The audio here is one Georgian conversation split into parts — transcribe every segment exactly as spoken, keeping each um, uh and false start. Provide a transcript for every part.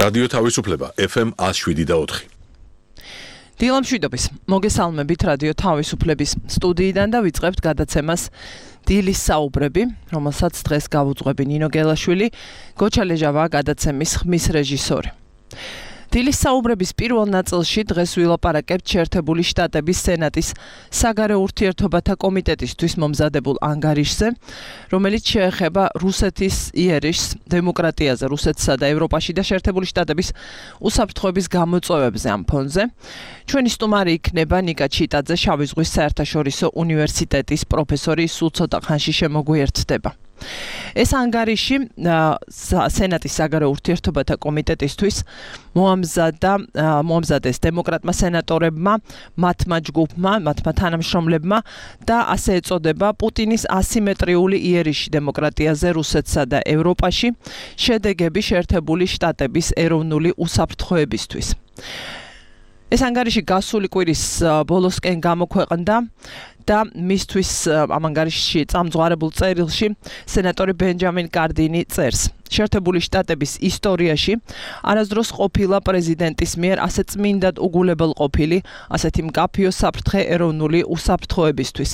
რადიო თავისუფლება ეფ ემ one oh seven და four. დილამშვიდობის, მოგესალმებით რადიო თავისუფლების სტუდიიდან და ვიწყებთ გადაცემას დილის საუბრები, რომელსაც დღეს გავუძღვები ნინო გელაშვილი, გოჩა ლეჟავა გადაცემის ხმის რეჟისორი. დილის საუბრების პირველ ნაწილში დღეს ვილაპარაკებთ შეერთებული შტატების სენატის საგარეო ურთიერთობათა კომიტეტისთვის მომზადებულ ანგარიშზე, რომელიც შეეხება რუსეთის იერიშს, დემოკრატიაზე რუსეთსა და ევროპაში და შეერთებული შტატების უსაფრთხოების გამოწვევებზე ამ ფონზე. ჩვენი სტუმარი იქნება ნიკა ჩიტაძე, შავი ზღვის საერთაშორისო უნივერსიტეტის პროფესორი, სულ ცოტა ხანში შემოგვიერთდება. ეს ანგარიში სენატის საგარეო ურთიერთობათა კომიტეტისთვის მოამზადა მოამზადეს დემოკრატმა სენატორებმა, მათმა ჯგუფმა, მათმა თანამშრომლებმა და ასე ეწოდება პუტინის ასიმეტრიული იერიში დემოკრატიაზე რუსეთსა და ევროპაში, შედეგები შეერთებული შტატების ეროვნული უსაფრთხოებისთვის. ეს ანგარიში გასული კვირის ბოლოსკენ გამოქვეყნდა და მისთვის ამ ანგარიშში წამძღვარებულ წერილში სენატორი ბენჯამინ კარდინი წერს. შეერთებული შტატების ისტორიაში არასდროს ყოფილა პრეზიდენტის მიერ ასე წმინდად უგულებელ ყოფილი, ასეთი მკაფიო საფრთხე ეროვნული უსაფრთხოებისთვის.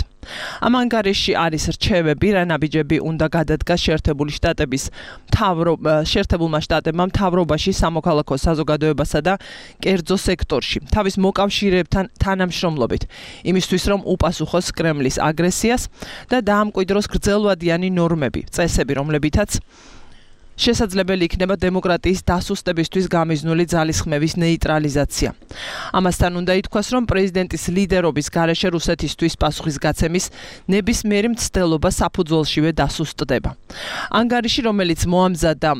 ამ ანგარიშში არის რჩევები, რა ნაბიჯები უნდა გადადგას შეერთებული შტატების შეერთებულმა შტატებმა მთავრობაში, სამოქალაქო საზოგადოებასა და კერძო სექტორში, თავის მოკავშირეებთან თანამშრომლობით, იმისთვის რომ უპასუხოს კრემლის აგრესიას და დაამკვიდროს გრძელვადიანი ნორმები, წესები, რომლებითაც შესაძლებელი იქნება დემოკრატიის დასუსტებისთვის გამიზნული ძალისხმევის ნეიტრალიზაცია. ამასთან უნდა ითქვას, რომ პრეზიდენტის ლიდერობის გარეშე რუსეთისთვის პასუხისგაცემის ნებისმიერი მცდელობა საფუძველშივე დასუსტდება. ანგარიში, რომელიც მოამზადა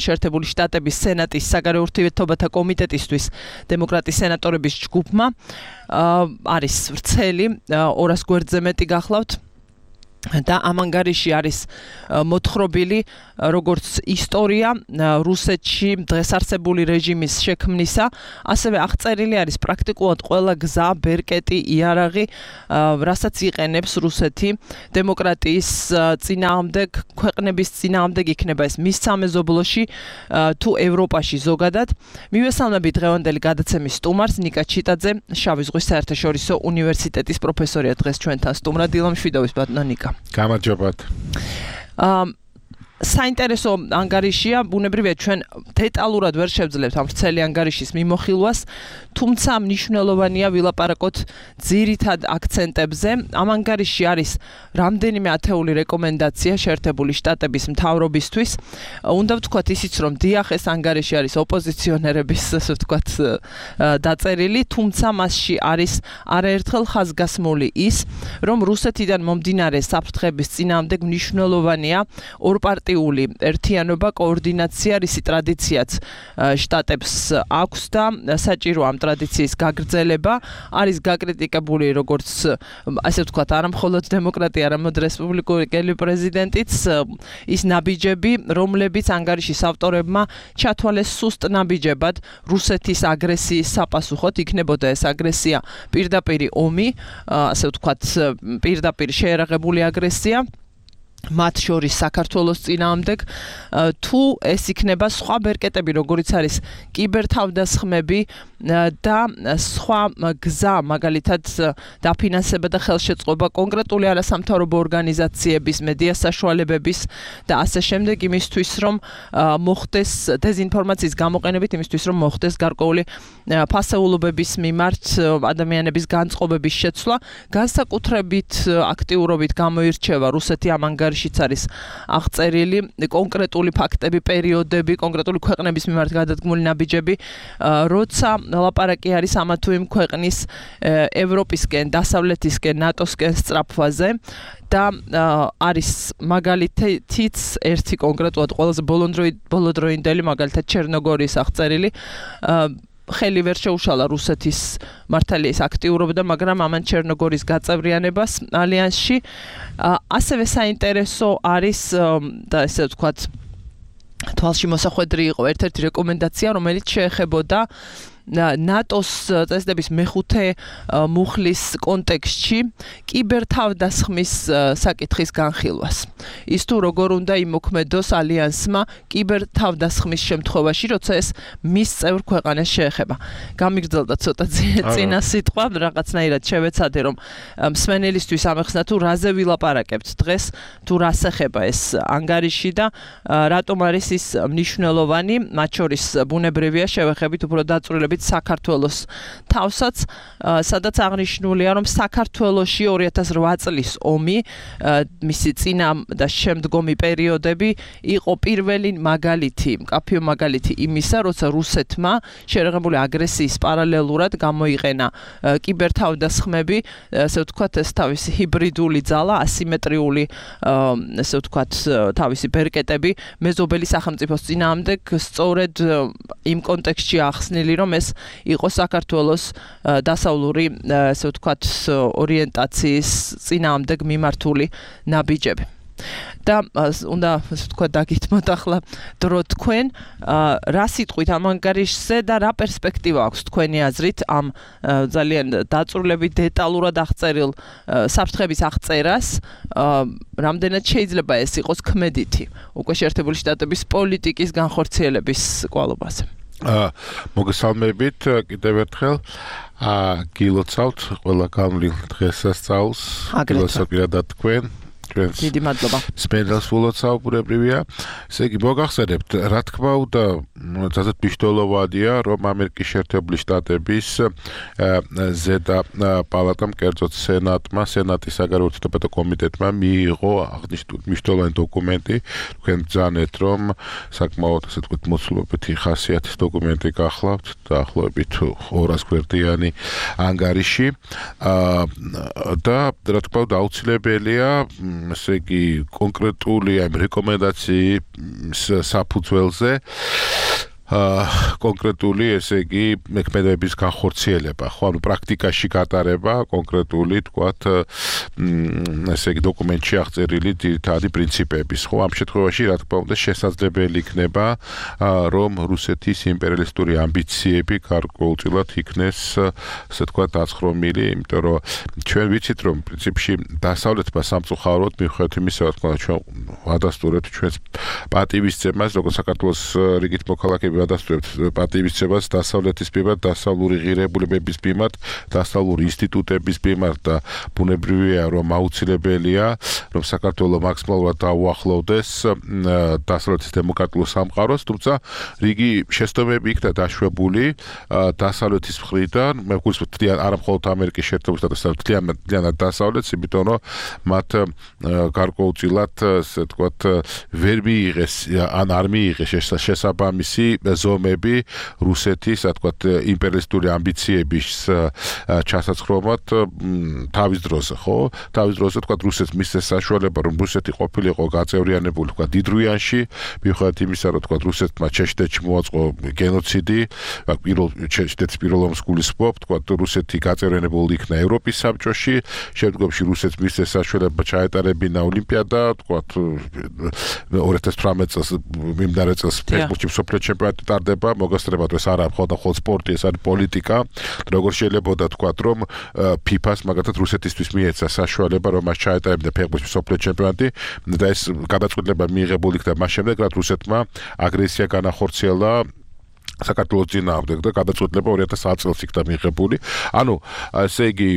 შეერთებული შტატების სენატის საგარეო ურთიერთობათა კომიტეტისთვის დემოკრატის სენატორების ჯგუფმა, არის ვრცელი, ორას გვერდზე მეტი გახლავთ. და ამ ანგარიში არის მოთხრობილი როგორც ისტორია რუსეთში დღეს არსებული რეჟიმის შექმნისა, ასევე აღწერილი არის პრაქტიკულად ყველა გზა, ბერკეტი, იარაღი, რასაც იყენებს რუსეთი დემოკრატიის წინააღმდეგ, ქვეყნების წინააღმდეგ, იქნება ეს მის სამეზობლოში თუ ევროპაში ზოგადად. მივესალმებით დღევანდელი გადაცემის სტუმარს, ნიკა ჩიტაძე, შავი ზღვის საერთაშორისო უნივერსიტეტის პროფესორია დღეს ჩვენთან სტუმრად. დილამშვიდობის ბატონო ნიკა. გამარჯობათ. საინტერესო ანგარიშია, ბუნებრივია ჩვენ დეტალურად ვერ შევძლებთ ამ ვრცელი ანგარიშის მიმოხილვას, თუმცა მნიშვნელოვანია ვილაპარაკოთ ძირითად აქცენტებზე. ამ ანგარიში არის რამდენიმე ათეული რეკომენდაცია შეერთებული შტატების მთავრობისთვის. უნდა ვთქვათ ისიც, რომ დიახ, ეს ანგარიში არის ოპოზიციონერების, ასე ვთქვათ, დაწერილი, თუმცა მასში არის არაერთხელ ხაზგასმული ის, რომ რუსეთიდან მომდინარე საფრთხების წინააღმდეგ მნიშვნელოვანია ორპარტიული ერთიანობა, координация, რისი ტრადიციაც შტატებს აქვს და საჭირო ამ ტრადიციის გაგრძელება, არის გაკრიტიკებული როგორც ასე ვთქვათ, არა მხოლოდ დემოკრატია, არამედ რესპუბლიკური პრეზიდენტიც, ის ნაბიჯები, რომლებიც ანგარიშის ავტორებმა ჩათვალეს სუსტ ნაბიჯებად რუსეთის აგრესიის საპასუხოდ, იქნებოდა ეს აგრესია პირდაპირი ომი, ასე ვთქვათ, პირდაპირ შეერაღებული აგრესია მათ შორის საქართველოს წინააღმდეგ, თუ ეს იქნება სხვა ბერკეტები, როგორიც არის კიბერთავდასხმები და სხვა გზა, მაგალითად დაფინანსება და ხელშეწყობა კონკრეტული არასამთავრობო ორგანიზაციების, მედია საშუალებების და ასე შემდეგ, იმისთვის რომ მოხდეს დეზინფორმაციის გამოყენებით, იმისთვის რომ მოხდეს გარკვეული ფასეულობების მიმართ ადამიანების განწყობების შეცვლა, განსაკუთრებით აქტიურობით გამოირჩევა რუსეთი ამ ანგარიშიც არის აღწერილი კონკრეტული ფაქტები, პერიოდები, კონკრეტული ქვეყნების მიმართ გადადგმული ნაბიჯები, როცა ლაპარაკი არის ამა თუ იმ ქვეყნის ევროპისკენ, დასავლეთისკენ, ნატოსკენ სწრაფვაზე და არის მაგალითიც ერთი კონკრეტულად ყველაზე ბოლოდროინდელი, მაგალითად ჩერნოგორიის აღწერილი, ხელი ვერ შეუშალა რუსეთის მართალიის აქტიურობდა, მაგრამ ამან ჩერნოგორიის გაწევრიანებას ალიანსში. ასევე საინტერესო არის და ესე ვთქვათ, თვალში მოსახვედრი იყო ერთ-ერთი რეკომენდაცია, რომელიც შეეხებოდა ნატოს წესდების მეხუთე მუხლის კონტექსტში კიბერთავდასხმის საკითხის განხილვას. ის თუ როგორ უნდა იმოქმედოს ალიანსმა კიბერთავდასხმის შემთხვევაში, როცა ეს მის წევრ ქვეყანას შეეხება. გამიგრძელდა ცოტა წინა სიტყვა, რაღაცნაირად შევეცადე, რომ მსმენელისთვის ამეხსნა თუ რაზე ვილაპარაკებთ დღეს, თუ რას ეხება ეს ანგარიში და რატომ არის ის მნიშვნელოვანი, მათ შორის ბუნებრივია შევეხებით უფრო დაწვრილებით საქართველოს თავსაც, სადაც აღნიშნულია, რომ საქართველოში ორი ათას რვა წლის ომი, მისი წინა და შემდგომი პერიოდები იყო პირველი მაგალითი, მკაფიო მაგალითი იმისა, როცა რუსეთმა შეერაღებული აგრესიის პარალელურად გამოიყენა კიბერთავდასხმები, ესე ვთქვათ, ეს თავისი ჰიბრიდული ძალა, ასიმეტრიული, ესე ვთქვათ, თავისი ბერკეტები მეზობელი სახელმწიფოს წინააღმდეგ სწორედ იმ კონტექსტში ახსნილი, რომ ეს იყო საქართველოს დასავლური, ესე ვთქვათ, ორიენტაციის წინააღმდეგ მიმართული ნაბიჯები. და უნდა თქვა დაგითმოთ ახლა დრო თქვენ რა სიტყვით ამ ანგარიშზე და რა პერსპექტივა აქვს თქვენი აზრით ამ ძალიან დაწვრილებით დეტალურად აღწერილ საფრთხების აღწერას რამდენად შეიძლება ეს იყოს ქმედითი უკვე შეერთებული შტატების პოლიტიკის განხორციელების კვალობაზე. მოგესალმებით კიდევ ერთხელ გილოცავთ ყველა გამრილ დღესასწაულს გილოცავთ თქვენ დიდი მადლობა. სპენდელს ვულოცავ ბუნებრივია. ესე იგი მოგახსენებთ, რა თქმა უნდა, ძალიან მნიშვნელოვანია, რომ ამერიკის შეერთებული შტატების ზედა პალატამ, კერძოდ სენატმა, სენატის საგარეო ურთიერთობათა კომიტეტმა მიიღო მნიშვნელოვანი დოკუმენტი. თქვენ ძანეთ, რომ საკმაოდ ასე ვთქვათ, მოცულობითი ხასიათის დოკუმენტი გახლავთ, დაახლოებით ორას გვერდიანი ანგარიში. და რა თქმა უნდა, აუცილებელია ესე იგი კონკრეტული ამ რეკომენდაციის საფუძველზე კონკრეტული ესე იგი მექმედების განხორციელება, ხო, ანუ პრაქტიკაში გატარება კონკრეტული, თქვათ, ესე იგი დოკუმენტში აღწერილი ძირითადი პრინციპების, ხო, ამ შემთხვევაში რა თქმა უნდა შესაძლებელი იქნება, რომ რუსეთის იმპერიალისტური ამბიციები გარკვეულწილად იქნეს, ასე ვთქვათ, დაცხრომილი, იმიტომ რომ ჩვენ ვიცით, რომ პრინციპში დასავლეთმა სამწუხაროდ მიუხედავად იმისა, რა თქმა უნდა, ჩვენ ვადასტურებთ ჩვენს პატივისცემას, როგორც საქართველოს რიგით მოქალაქეები ვადასტურებთ პატივისცემას დასავლეთის მიმართ, დასავლური ღირებულებების მიმართ, დასავლური ინსტიტუტების მიმართ და ბუნებრივია, რომ აუცილებელია, რომ საქართველო მაქსიმალურად დაუახლოვდეს დასავლეთის დემოკრატიულ სამყაროს, თუმცა რიგი შეცდომები იქნა დაშვებული დასავლეთის მხრიდან, მე გულისხმობ არა მხოლოდ ამერიკის შეერთებული შტატებსა, მთლიანად დასავლეთს, იმიტომ რომ მათ გარკვეულწილად, ასე ვთქვათ, ვერ მიიღეს ან არ მიიღეს შესაბამისი ზომები რუსეთის, ასე ვთქვათ, იმპერიალისტური ამბიციების ჩასაცხრომად თავის დროზე, ხო? თავის დროზე, ვთქვათ, რუსეთს მისცეს საშუალება, რომ რუსეთი ყოფილიყო გაწევრიანებული, ვთქვათ, დიდრუიანში, მიუხედავად იმისა, რომ ვთქვათ, რუსეთმა ჩეჩნეთში მოაწყო გენოციდი, პირველ ჩეჩნეთის პირველ ომს გულისხმობ, ვთქვათ, რუსეთი გაწევრიანებული იქნა ევროპის საბჭოში, შემდგომში რუსეთს მისცეს საშუალება ჩაეტარებინა ოლიმპიადა, ვთქვათ, ორი ათას თვრამეტ წელს მიმდინარე წელს ფეხბურთში მსოფლიო ჩემპიონატი ტარდება, მოგესწრებათ, ეს არა მხოლოდ მხოლოდ სპორტი, ეს არის პოლიტიკა. როგორ შეიძლება თქვათ, რომ ფიფას მაგათაც რუსეთისთვის მიეცა საშუალება, რომ მას ჩაეტარებინა ფეხბურთში მსოფლიო ჩემპიონატი და ეს გადაწყვეტილება მიიღებული იქნა მას შემდეგ, რაც რუსეთმა აგრესია განახორციელა საქართველოს წინააღმდეგ და გადაწყვეტილება ორი ათას ათი წელს იქნა მიღებული. ანუ ესე იგი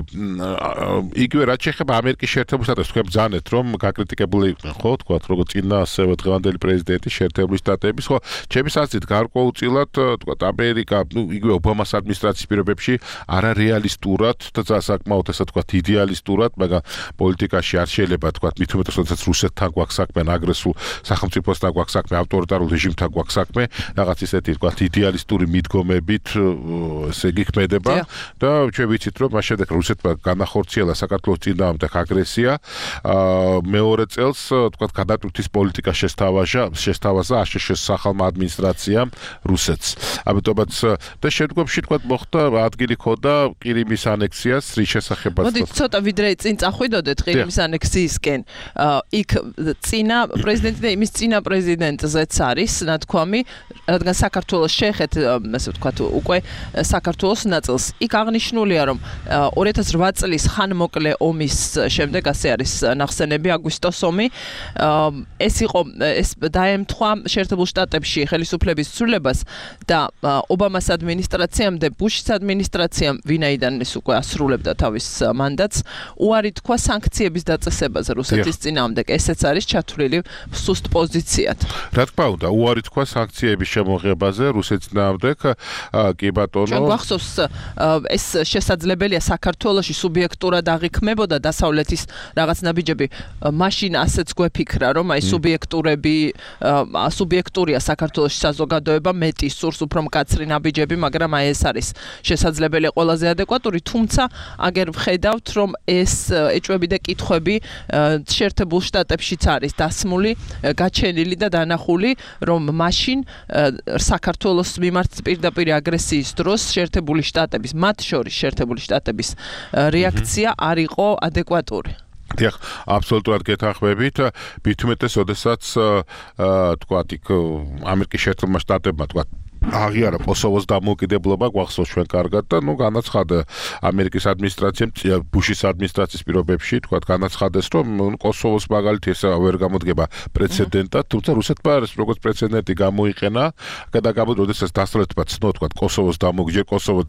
იგივე რაც შეეხება ამერიკის შეერთებულ შტატებს, თქვენ ბრძანეთ, რომ გაკრიტიკებული იყვნენ, ხო, თქვათ, როგორც წინა ასევე დღევანდელი პრეზიდენტი შეერთებული შტატების, ხო, ჩემი აზრით გარკვეულწილად, თქვათ, ამერიკა, ნუ იგივე ობამას ადმინისტრაციის პირობებში არარეალისტურად და საკმაოდ ესე ვთქვათ, იდეალისტურად, მაგრამ პოლიტიკაში არ შეიძლება, თქვათ, მით უმეტეს, როდესაც რუსეთთან გვაქვს საქმე, აგრესულ სახელმწიფოსთან გვაქვს საქმე, ავტორიტარულ რეჟიმთან გვაქვს საქმე, რაღაც ისეთი, თქვათ, იდეალისტური მიდგომებით ესე იგი ქმედება და ჩვენ ვიცით, რომ მას შემდეგ რუსეთმა განახორციელა საქართველოს წინააღმდეგ აგრესია, მეორე წელს, თქვათ, გადატვირთვის პოლიტიკა შესთავაზა, შესთავაზა აშშ-ის სახალხო ადმინისტრაციამ რუსეთს. ამიტომაც და შემდგომში, თქვათ, მოხდა ადგილი ქონდა ყირიმის ანექსიას, რის შესახებაც. მოდით ცოტა ვიდრე წინ წახვიდოდეთ ყირიმის ანექსიისკენ. იქ წინა პრეზიდენტი და იმის წინა პრეზიდენტზეც არის ნათქვამი, რადგან საქართველოს ნახეთ, ასე ვთქვათ, უკვე საქართველოს ნაწილს. იქ აღნიშნულია, რომ ორი ათას ოთხ წლის ხანმოკლე ომის შემდეგ, ასე არის ნახსენები, აგვისტოს ომი, ეს იყო ეს დაემთხვა შეერთებულ შტატებში ხელისუფლების ცვლილებას და ობამას ადმინისტრაციამდე ბუშის ადმინისტრაციამ, ვინაიდან ის უკვე ასრულებდა თავის მანდატს, უარი თქვა სანქციების დაწესებაზე რუსეთის წინააღმდეგ. ესეც არის ჩათვლილი სუსტ პოზიციად. რა თქმა უნდა, უარი თქვა სანქციების შემოღებაზე რუსეთის წინააღმდეგ, კი ბატონო. ჩვენ გვახსოვს, ეს შესაძლებელია საქართველოში სუბიექტურად აღიქმებოდა დასავლეთის რაღაც ნაბიჯები. მაშინ ასეც გვეფიქრა, რომ აი სუბიექტურები, სუბიექტურია საქართველოში საზოგადოება, მეტი სურს უფრო მკაცრი ნაბიჯები, მაგრამ აი ეს არის შესაძლებელი ყველაზე ადეკვატური, თუმცა აგერ ვხედავთ, რომ ეს ეჭვები და კითხვები შეერთებულ შტატებშიც არის დასმული, გაჩენილი და დანახული, რომ მაშინ საქართველოს მიმართ პირდაპირ აგრესიის დროს შეერთებული შტატების, მათ შორის შეერთებული შტატების რეაქცია არ იყო ადეკვატური. დიახ, აბსოლუტურად გეთანხმებით. მით უმეტეს, როდესაც თქვათ, იქ ამერიკის შეერთებულმა შტატებმა თქვათ აღიარა კოსოვოს დამოუკიდებლობა, გვახსოვს ჩვენ კარგად და ნუ განაცხადა ამერიკის ადმინისტრაციამ, ბუშის ადმინისტრაციის პირობებში, თქვათ, განაცხადეს, რომ კოსოვოს მაგალითი ეს ვერ გამოდგება პრეცედენტად, თუმცა რუსეთმა ეს როგორც პრეცედენტი გამოიყენა, და გამოდ, როდესაც დასავლეთმა ცნო, თქვათ, კოსოვოს დამოუკიდებლობა, კოსოვო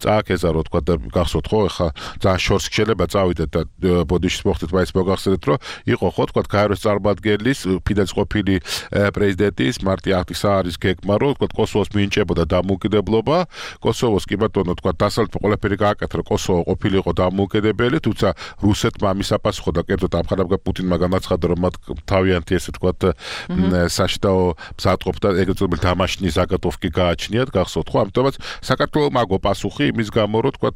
წააქეზარო, თქვათ, და გახსოვთ ხო, ეხა ძალიან შორს შეიძლება წავიდეთ და ბოდიშის მოხდეთ, მაინც მოგახსენეთ, რომ იყო ხო, თქვათ, გაეროს წარმომადგენლის, ფიდელის ყოფილი პრეზიდენტის მარტი აჰტისაარის გეგმა, რომ თქვათ, კოსოვოს მინჭებოდა დამოუკიდებლობა, კოსოვოს კი ბატონო თქვა დასავლეთმა ყველაფერი გააკეთა, რომ კოსოვო ყოფილიყო დამოუკიდებელი, თუმცა რუსეთმა ამის აპასუხო და კერძოდ ამხანაგა პუტინმა განაცხადა, რომ მათ თავიანთი ესე თქვა საშტაო მზადყოფ და ეგრეთ წოდებული დამაშნი ზაგატოვკი გააჩნიათ, გახსოვთ ხო? ამიტომაც საქართველოს მაგო პასუხი იმის გამო, რომ თქვა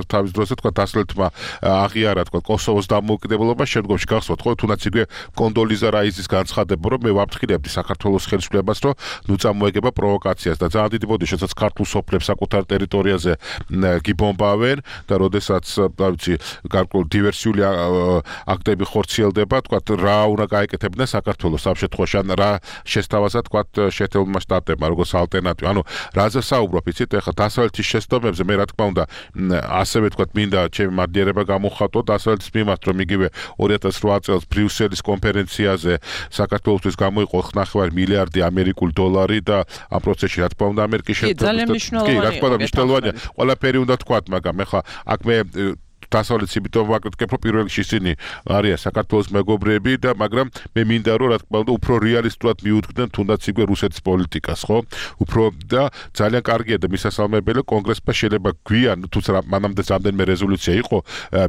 თავის დროზე თქვა დასავლეთმა აღიარა თქვა კოსოვოს დამოუკიდებლობა, შემდგომში გახსოვთ ხო, თუნდაც იგივე კონდოლიზა რაიზის განცხადება, რომ მე ვამტყილებდი საქართველოს ხელისუფლებას, რომ ნუ წამოეგება პროვოკაციას და ძალიან დიდი ბოდიში, შესაძაც ქართულ სოფლებს საკუთარ ტერიტორიაზე გიბომბავენ და როდესაც, რა ვიცი, გარკვეულ დივერსიული აქტები ხორციელდება, თქვათ, რა უნდა გაეკეთებინა საქართველოს ამ შემთხვევაში, ან რა შესთავაზა, თქვათ, შეერთებულმა შტატებმა, როგორც ალტერნატივა. ანუ რაზე საუბრობ, იცით, ეხლა დასავლეთის შეცდომებზე, მე რა თქმა უნდა, ასევე თქვათ, მინდა ჩემი მადლიერება გამოვხატო დასავლეთის მიმართ, რომ იგივე ორი ათას ოთხ წელს ბრიუსელის კონფერენციაზე საქართველოსთვის გამოიყო ხუთნახევარი მილიარდი ამერიკული დოლარი და ამ პროცესში რა თქმა უნდა ამერიკის შეერთებულ კი, რა თქმა უნდა მნიშვნელოვანია. ყველაფერი უნდა თქვათ, მაგრამ ეხლა აქ მე დასავლეთის იმიტომ ვაკეთებ, რომ პირველ რიგში ისინი არიან საქართველოს მეგობრები და მაგრამ მე მინდა რომ რა თქმა უნდა უფრო რეალისტურად მიუძღვნენ თუნდაც იგივე რუსეთის პოლიტიკას, ხო? უფრო და ძალიან კარგია და მისასალმებელი კონგრესმა შეიძლება გვიან, თუმცა მანამდე რამდენიმე რეზოლუცია იყო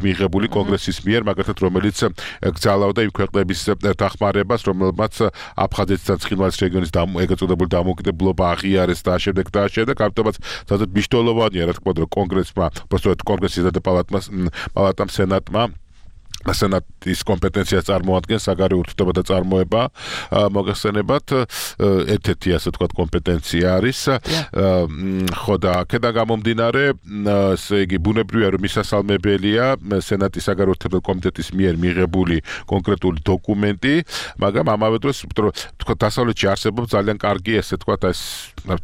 მიიღებული კონგრესის მიერ, მაგალითად რომელიც გძალავდა იმ ქვეყნების დახმარებას, რომელმაც აფხაზეთის და ცხინვალის რეგიონის ეგრეთ წოდებული დამოუკიდებლობა აღიარეს და შემდეგ და შემდეგ, ამიტომაც სადაც მნიშვნელოვანია რა თქმა უნდა კონგრესმა, უბრალოდ კონგრესის და პალატას პალატამ სენატმა სენატის კომპეტენციას წარმოადგენს საგარეო ურთიერთობათა წარმოება მოგეხსენებათ ერთ-ერთი ასე ვთქვათ კომპეტენცია არის ხო და აქედან გამომდინარე ესე იგი ბუნებრივია რომ მისასალმებელია სენატის საგარეო ურთიერთობათა კომიტეტის მიერ მიღებული კონკრეტული დოკუმენტი მაგრამ ამავე დროს ვთქვათ დასავლეთში არსებობს ძალიან კარგი ესე ვთქვათ ეს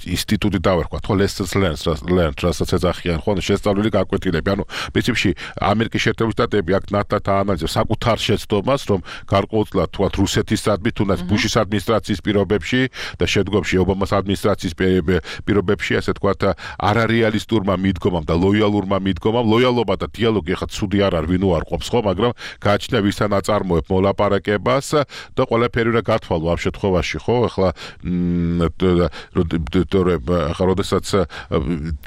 ინსტიტუტი დავერქვათ ხო lessons learned რასაც ეძახიან ხო შესწავლილი გაკვეთილები ანუ პრინციპში ამერიკის შეერთებული შტატები აქ ნატათა ანალიზებს საკუთარ შეცდომას რომ გარკვეულწილად თქვათ რუსეთისადმი თუნდაც ბუშის ადმინისტრაციის პირობებში და შემდგომში ობამას ადმინისტრაციის პირობებში ასე ვთქვათ არარეალისტურმა მიდგომამ და ლოიალურმა მიდგომამ ლოიალობა და დიალოგი ხა ცუდი არ არის ვინ უარყოფს ხო მაგრამ გააჩნია ვისთან აწარმოებ მოლაპარაკებას და ყველაფერი უნდა გათვალო ამ შემთხვევაში ხო ახლა ახლა როდესაც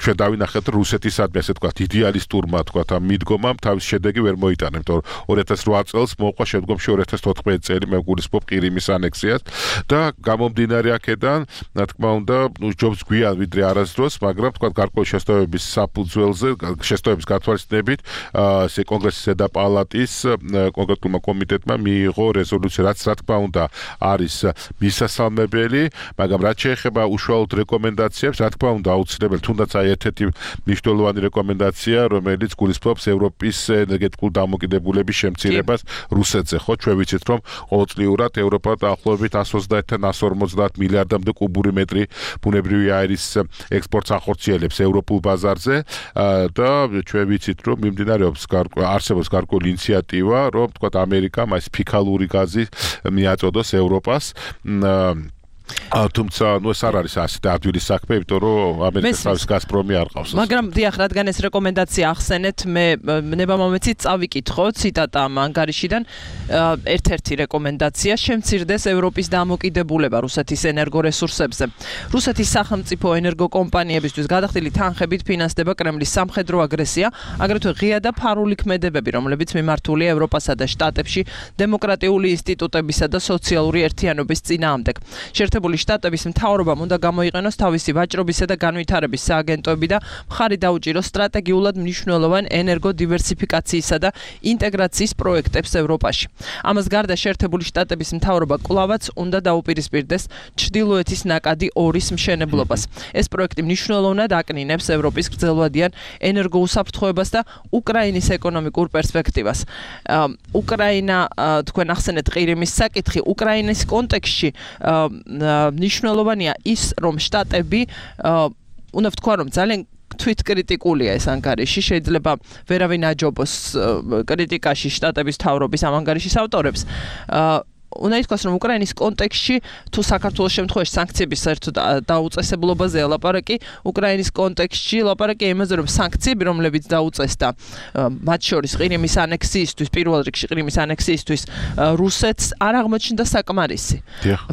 ჩვენ დავინახეთ რუსეთისადმი ასე ვთქვათ იდეალისტურმა ვთქვათ ამ მიდგომამ თავის შედეგი ვერ მოიტანა იმიტომ რომ ორი ათას ოთხ წელს მოყვა შემდგომში ორი ათას ოთხმეტი წელი მე გულისხმობ ყირიმის ანექსიას და გამომდინარე აქედან რა თქმა უნდა ჯობს გვიან ვიდრე არასდროს მაგრამ თქვა გარკვეული შესწავლების საფუძველზე შესწავლების გათვალისწინებით ესე კონგრესის ზედა პალატის კონკრეტულმა კომიტეტმა მიიღო რეზოლუცია რაც რა თქმა უნდა არის მისასალმებელი მაგრამ რაც შეეხება უშუალოდ რეკომენდაციებს რა თქმა უნდა აუცილებელი თუნდაც აი ერთ-ერთი მნიშვნელოვანი რეკომენდაცია რომელიც გულისხმობს ევროპის ენერგეტიკულ დამოკიდებულების შემცირებას რუსეთზე, ხო, ჩვენ ვიცით, რომ ყოველწლიურად ევროპა დაახლოებით one twenty-one one forty მილიარდამდე კუბური მეტრი ბუნებრივი აირის ექსპორტს ახორციელებს ევროპულ ბაზარზე და ჩვენ ვიცით, რომ მიმდინარეობს არსებობს გარკვეული ინიციატივა, რომ თქვათ ამერიკამ ეს ფიქალური გაზი მიაწოდოს ევროპას თუმცა ნუ ეს არ არის ასეთი ადვილი საქმე, იმიტომ რომ ამერიკის თავის გაზპრომი არ ყავს. მაგრამ დიახ, რადგან ეს რეკომენდაცია ახსენეთ, მე ნება მომეცით წავიკითხო ციტატა ამ ანგარიშიდან, ერთ-ერთი რეკომენდაცია შემცირდეს ევროპის დამოკიდებულება რუსეთის ენერგორესურსებზე. რუსეთის სახელმწიფო ენერგოკომპანიებისთვის გადახდილი თანხებით ფინანსდება კრემლის სამხედრო აგრესია, აგრეთვე ღია და ფარული ქმედებები, რომლებიც მიმართულია ევროპასა და შტატებში დემოკრატიული ინსტიტუტებისა და სოციალური ერთიანობის წინააღმდეგ. შეერთებული შტატების მთავრობამ უნდა გამოიყენოს თავისი ვაჭრობისა და განვითარების სააგენტოები და მხარი დაუჭიროს სტრატეგიულად მნიშვნელოვან ენერგოდივერსიფიკაციისა და ინტეგრაციის პროექტებს ევროპაში. ამას გარდა შეერთებული შტატების მთავრობა კვლავაც უნდა დაუპირისპირდეს ჩრდილოეთის ნაკადი ორის მშენებლობას. ეს პროექტი მნიშვნელოვნად აკნინებს ევროპის გრძელვადიან ენერგოუსაფრთხოებას და უკრაინის ეკონომიკურ პერსპექტივას. უკრაინა, თქვენ ახსენეთ ყირიმის საკითხი, უკრაინის კონტექსტში მნიშვნელოვანია ის, რომ შტატები უნდა ვთქვა, რომ ძალიან თვითკრიტიკულია ეს ანგარიში, შეიძლება ვერავინ აჯობოს კრიტიკაში შტატების მთავრობის ამ ანგარიშის ავტორებს. უნდა ითქვას, რომ უკრაინის კონტექსტში თუ საქართველოს შემთხვევაში სანქციების საერთოდ დაუწესებლობაზე ლაპარაკი, უკრაინის კონტექსტში ლაპარაკი იმაზე, რომ სანქციები, რომლებიც დაუწესდა მათ შორის ყირიმის ანექსიისთვის, პირველ რიგში ყირიმის ანექსიისთვის რუსეთს არ აღმოჩნდა საკმარისი.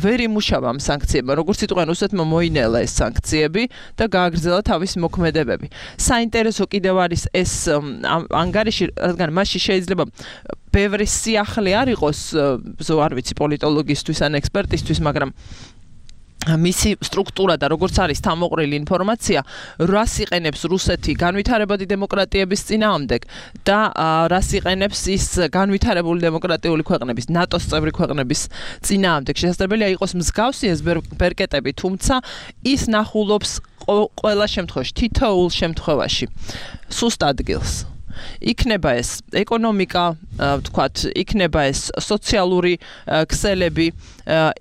ვერ იმუშავა ამ სანქციებმა, როგორც იტყვიან, რუსეთმა მოინელა ეს სანქციები და გააგრძელა თავისი მოქმედებები. საინტერესო კიდევ არის ეს ანგარიში, რადგან მასში შეიძლება ბევრი სიახლე არ იყოს, ზო არ ვიცი პოლიტოლოგისტვის ან ექსპერტისთვის, მაგრამ მისი სტრუქტურა და როგორც არის თავმოყრილი ინფორმაცია, რას იყენებს რუსეთი განვითარებადი დემოკრატიების წინააღმდეგ და რას იყენებს ის განვითარებული დემოკრატიული ქვეყნების, ნატოს წევრი ქვეყნების წინააღმდეგ. შესაძლებელია იყოს მსგავსი ეს ბერკეტები, თუმცა ის ნახულობს ყველა შემთხვევაში, თითოეულ შემთხვევაში სუსტ ადგილს. იქნება ეს ეკონომიკა, ვთქვათ, იქნება ეს სოციალური ქსელები,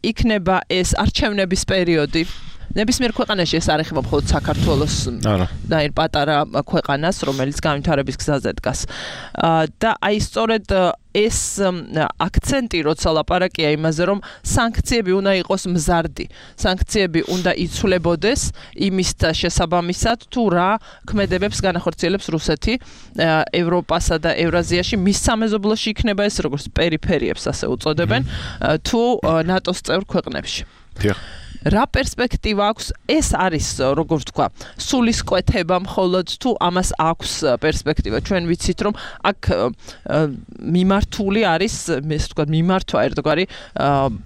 იქნება ეს არჩევნების პერიოდი. ნებისმიერ ქვეყანაში ეს არ ეხება მხოლოდ საქართველოს და ერთ პატარა ქვეყანას, რომელიც განვითარების გზაზე დგას. და აი სწორედ ეს აქცენტი, როცა ლაპარაკია იმაზე, რომ სანქციები უნდა იყოს მზარდი, სანქციები უნდა იცვლებოდეს იმის შესაბამისად, თუ რა ქმედებებს განახორციელებს რუსეთი ევროპასა და ევრაზიაში, მის სამეზობლოში იქნება ეს როგორც პერიფერიებს ასე უწოდებენ, თუ ნატოს წევრ ქვეყნებში. რა პერსპექტივა აქვს, ეს არის, როგორც ვთქვა, სულისკვეთება მხოლოდ თუ ამას აქვს პერსპექტივა. ჩვენ ვიცით, რომ აქ მიმართული არის, ესე ვთქვა, მიმართვა ერთგვარი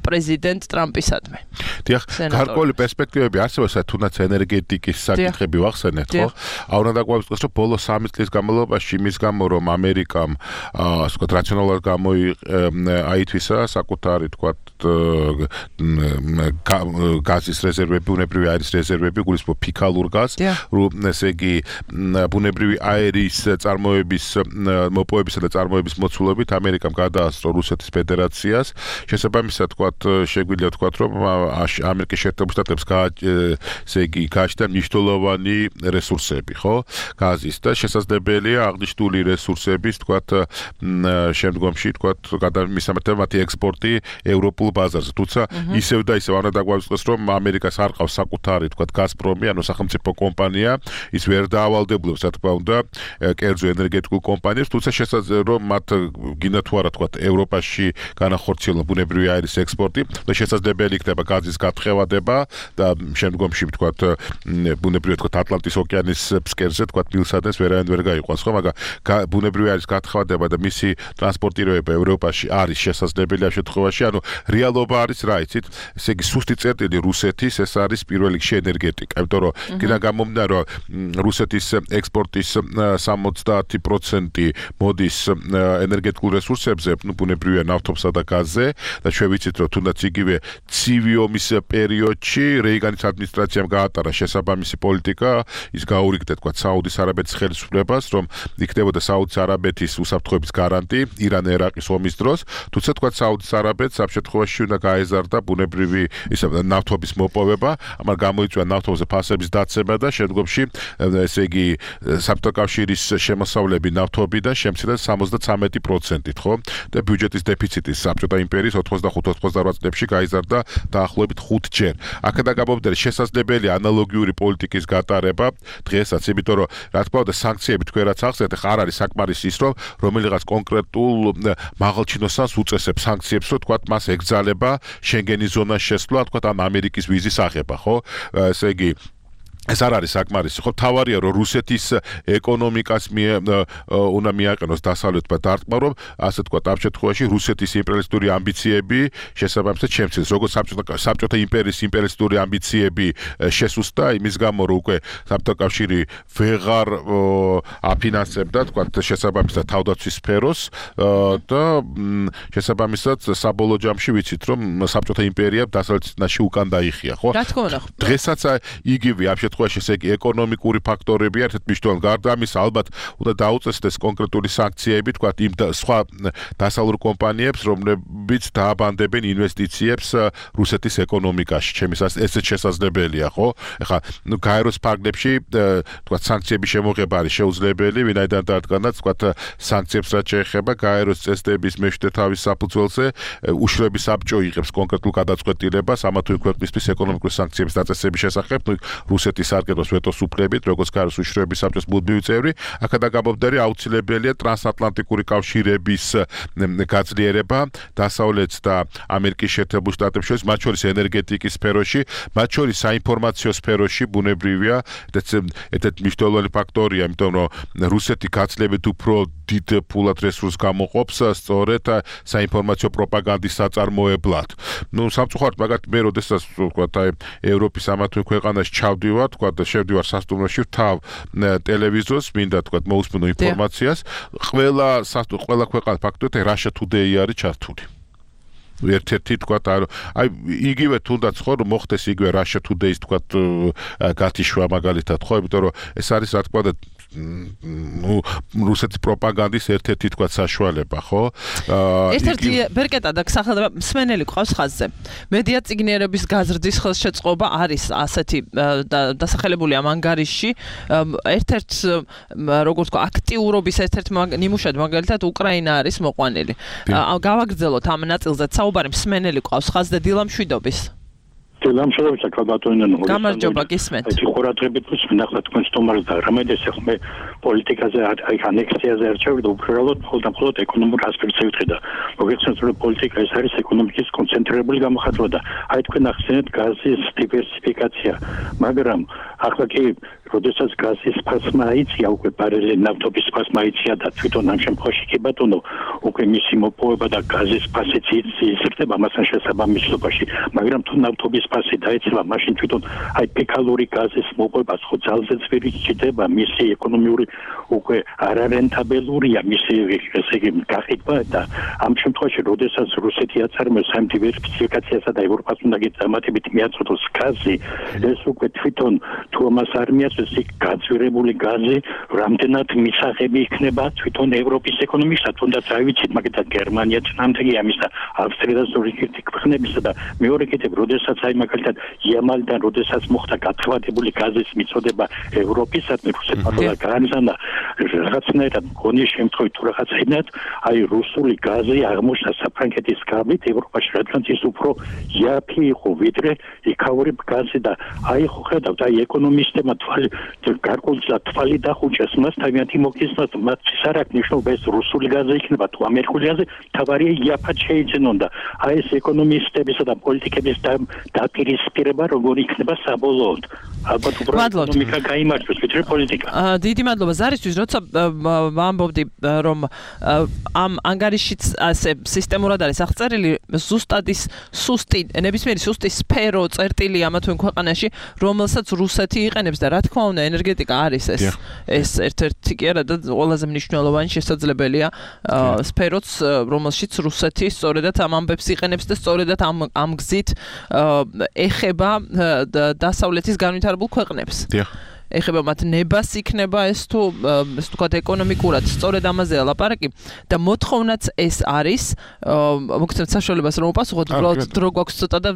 პრეზიდენტ ტრამპისადმი. დიახ, გარკვეული პერსპექტივები არსებობს, თუნდაც ენერგეტიკის საკითხები ვახსენეთ, ხო? აუნა დაგვაწყოს, რომ ბოლო სამი წლის განმავლობაში იმის გამო, რომ ამერიკამ, ასე ვთქვათ, რაციონალურად გამოიაითვისა საკუთარი, ვთქვათ, გაზის რეზერვები, ბუნებრივი აირის რეზერვები, გულისხმობ ფიქალურ გაზს, რომ ესე იგი ბუნებრივი აირის წარმოების, მოპოვებისა და წარმოების მოცულობით ამერიკამ გადაასწრო რუსეთის ფედერაციას. შესაბამისად, თქვათ, შეგვიძლია ვთქვათ, რომ ამერიკის შეერთებულ შტატებს ესე იგი გააჩნდა მნიშვნელოვანი რესურსები, ხო? გაზის და შესაძლებელია აღნიშნული რესურსების, ვთქვათ, შემდგომში, ვთქვათ, გადამისამართება მათი ექსპორტი ევროპულ ბაზარზე. თუმცა ისევ და ისევ არ უნდა დაგვაწყოს, რომ ამერიკას არ ყავს საკუთარი, თქვათ, გაზპრომი, ანუ სახელმწიფო კომპანია, ის ვერ დაავალდებულებს, რა თქმა უნდა, კერძო ენერგეტიკულ კომპანიებს, თუმცა შესაძლოა, რომ მათ გინდა თუ არა, თქვათ, ევროპაში განახორციელონ ბუნებრივი აირის ექსპორტი და შესაძლებელი იქნება გაზის გათხოვადება და შემდგომში, თქვათ, ბუნებრივი, თქვათ, ატლანტის ოკეანის ფსკერზე, თქვათ, მილსადენს ვერავინ ვერ გაიყვანს, ხო, მაგრამ ბუნებრივი აირის გათხოვადება და მისი ტრანსპორტირება ევროპაში არის შესაძლებელი ამ შემთხვევაში, ანუ რეალობა არის რა იცით, ესე იგი სუსტი წერტილი რუსეთის ეს არის პირველ რიგში ენერგეტიკა, იმიტომ რომ კიდე გამომდინარე რომ რუსეთის ექსპორტის სამოცდაათი პროცენტი მოდის ენერგეტიკულ რესურსებზე, ну ბუნებრივია ნავთობსა და გაზზე და ჩვენ ვიცით რომ თუნდაც იგივე ცივი ომის პერიოდში რეიგანის ადმინისტრაციამ გაატარა შესაბამისი პოლიტიკა, ის გაურიგდა თქვა საუდის არაბეთის ხელისუფლებას, რომ იქნებოდა საუდის არაბეთის უსაფრთხოების გარანტი ირან-ერაყის ომის დროს, თუმცა თქვა საუდის არაბეთს ამ შემთხვევაში უნდა გაეზარდა ბუნებრივი ისა ნავთობის მოპოვება, ამან გამოიწვია ნავთობზე ფასების დაცემა და შემდგომში ესე იგი საბჭოთა კავშირის შემოსავლები ნავთობიდან შემცირდა სამოცდათვრამეტი პროცენტით, ხო? და ბიუჯეტის დეფიციტი საბჭოთა იმპერიის ოთხმოცდახუთ ოცდაოთხ წლებში გაიზარდა დაახლოებით ხუთჯერ. აქედან გამომდინარე შესაძლებელია ანალოგიური პოლიტიკის გატარება დღესაც, იმიტომ რომ რა თქმა უნდა სანქციები თქვენ რაც ახსენეთ, ხარ არის საკმარისი ის, რომ რომელიღაც კონკრეტულ მაღალჩინოსანს უწესებს სანქციებს, რომ თქვა მას ეკძალება შენგენის ზონაში შესვლა, თქვა ამ ამერიკის ვიზის აღება, ხო? ესე იგი ეს არ არის საკმარისი, ხო? თავარია რომ რუსეთის ეკონომიკას უნდა მიაყენოს დასავლეთმა დარტყმა, რომ ასე თქვა ამ შემთხვევაში რუსეთის იმპერიალისტური ამბიციები შესაბამისად შემცირდეს, როგორც საბჭოთა საბჭოთა იმპერიის იმპერიალისტური ამბიციები შესუსტა, იმის გამო რომ უკვე საბჭოთა კავშირი ვეღარ აფინანსებდა, თქვა შესაბამისად თავდაცვის სფეროს და შესაბამისად საბოლოო ჯამში ვიცით რომ საბჭოთა იმპერიამ დასავლეთში უკან დაიხია, ხო? რა თქმა უნდა. დღესაც იგივე ამ შემთხვევაში ესე იგი ეკონომიკური ფაქტორები ერთ-ერთ მნიშვნელოვანი, გარდა ამისა ალბათ უნდა დაუწესდეს კონკრეტული სანქციები, თქვა იმ სხვა დასავლურ კომპანიებს, რომლებიც დააბანდებენ ინვესტიციებს რუსეთის ეკონომიკაში. ჩემს ესეც შესაძლებელია, ხო? ეხლა ნუ გაეროს ფარგლებში თქვა სანქციების შემოღება არის შეუძლებელი, ვინაიდან დადგანაც თქვა სანქციებს რაც შეეხება გაეროს წესდების მეშვიდე თავის საფუძველზე უშუალო საბჭო იღებს კონკრეტულ გადაწყვეტილებას ამა თუ იმ ქვეყნისთვის ეკონომიკური სანქციების დაწესების შესახებ, ნუ რუსეთის არგენტოს ვეტოს უფლებით, როგორც გაეროს უშუალო საბჭოს მუდმივი წევრი, აქედან გამომდინარე აუცილებელია ტრანსატლანტიკური კავშირების გაძლიერება დასავლეთ და ამერიკის შეერთებულ შტატებს შორის, მათ შორის ენერგეტიკის სფეროში, მათ შორის საინფორმაციო სფეროში ბუნებრივია, ერთ-ერთი მნიშვნელოვანი ფაქტორია, იმიტომ რომ რუსეთი გაცილებით უფრო დიდ ფულად რესურსს გამოყოფს სწორედ საინფორმაციო პროპაგანდის საწარმოებლად. ნუ სამწუხაროდ მაგათ მე როდესაც თქვა აი ევროპის ამა თუ ქვეყანაში ჩავდივარ, თქვა და შევდივარ სასტუმროში, თავ ტელევიზორს მინდა თქვა მოусმინო ინფორმაციას, ყველა ყველა ქვეყანა ფაქტობრივად Russia Today არის ჩართული. ერთ-ერთი თქვა აი იგივე თუნდაც ხო რომ მოხდეს იგივე Russia Today-ს თქვა გათიშვა მაგალითად, ხო, იმიტომ რომ ეს არის რა თქმა უნდა ну რუსეთის პროპაგანდის ერთ-ერთი თქვა საშუალება, ხო? ერთ-ერთი ბერკეტა და სახელდება მსმენელი ყავს ხაზზე. მედია წიგნიერების გაზრდის ხელშეწყობა არის ასეთი დასახელებული ამ ანგარიშში. ერთ-ერთ როგორ თქვა აქტიურობის ერთ-ერთ ნიმუშად მაგალითად უკრაინა არის მოყვანილი. გავაგრძელოთ ამ ნაწილზე საუბარი მსმენელი ყავს ხაზზე დილამშვიდობის. დილამშვიდობის კალბატონინო. გამარჯობა, გისმენთ. აი ხურათრებით ვისმენახლა თქვენ სტომარს და რამედეს ახლა პოლიტიკაზე აი ანექსიაზე არჩევდა უბრალოდ მხოლოდ ეკონომურ ასპექტზე ვიტყვი და მოგეხსენებათ რომ პოლიტიკა ეს არის ეკონომიკის კონცენტრირებული გამოხატვა და აი თქვენ ახსენეთ გაზის დივერსიფიკაცია, მაგრამ ახლა კი როდესაც გაზის ფასმა აიწია, უკვე ბარელი ნავთობის ფასმა აიწია და თვითონ ამ შემთხვევაში კი ბატონო უკვე მისი მოპოვება და გაზის ფასიც იზრდება მასთან შესაბამისობაში, მაგრამ თუ ნავთობის ფასი დაეცემა, მაშინ თვითონ აი ფეკალური გაზის მოპოვება ხო ძალზე ძვირი ჩდება, მისი ეკონომიური უკვე არარენტაბელურია, მისი ესე იგი გაყიდვა და ამ შემთხვევაში როდესაც რუსეთი აწარმოებს ამ დივერსიფიკაციასა და ევროპას უნდა გიწამატებით მიაწოდოს გაზი, ეს უკვე თვითონ თუ ამას არ მიაწოდოს ეს გაძვირებული გაზი რამდენად მისაღები იქნება თვითონ ევროპის ეკონომიკასა, თუნდაც არ ვიცით, მაგალითად გერმანია წინამძღოლი ამისა, ავსტრია და ზურიქი ქვეყნებისა და მეორე კიდევ როდესაც აი მაგალითად იამალიდან როდესაც მოხდა გათხევადებული გაზის მიწოდება ევროპისადმი, რუსეთმა და განზანა რაღაცნაირად მგონი შემთხვევით თუ რაღაცნაირად აი რუსული გაზი აღმოჩნდა საფრანგეთის გავლით ევროპაში, რადგან ის უფრო იაფი იყო ვიდრე იქაური გაზი და აი ხო ხედავთ აი ეკონომისტებმა თვალი გარკვეულწილად თვალი დახუჭეს მას თავიანთი მოგხსნათ მათთვის არ აქვს მნიშვნელობა ეს რუსული გაზი იქნება თუ ამერიკული გაზი, თავარია იაფად შეიძენონ და აი ეს ეკონომისტებისა და პოლიტიკების დაპირისპირება როგორ იქნება საბოლოოდ. ალბათ უბრალოდ ეკონომიკა გაიმართოს, ვიდრე პოლიტიკა. აა დიდი მადლობა ზარისთვის, როცა ვამბობდი რომ ამ ანგარიშიც ასე სისტემურად არის აღწერილი ზუსტად ის სუსტი, ნებისმიერი სუსტი სფერო წერტილი ამა თუ იმ ქვეყანაში, რომელსაც რუსეთი იყენებს და რა თქმა უნდა ენერგეტიკა არის ეს ეს ერთ-ერთი კი არა და ყველაზე მნიშვნელოვანი შესაძლებელია სფეროც, რომელშიც რუსეთი სწორედად ამ ამბებს იყენებს და სწორედად ამ ამ გზით ეხება დასავლეთის განვითარებულ ქვეყნებს. ეხება მათ ნებას იქნება ეს თუ ეს თქვათ ეკონომიკურად სწორედ ამაზეა ლაპარაკი და მოთხოვნაც ეს არის მოგცემთ საშუალებას რომ უპასუხოთ უბრალოდ დრო გვაქვს ცოტა და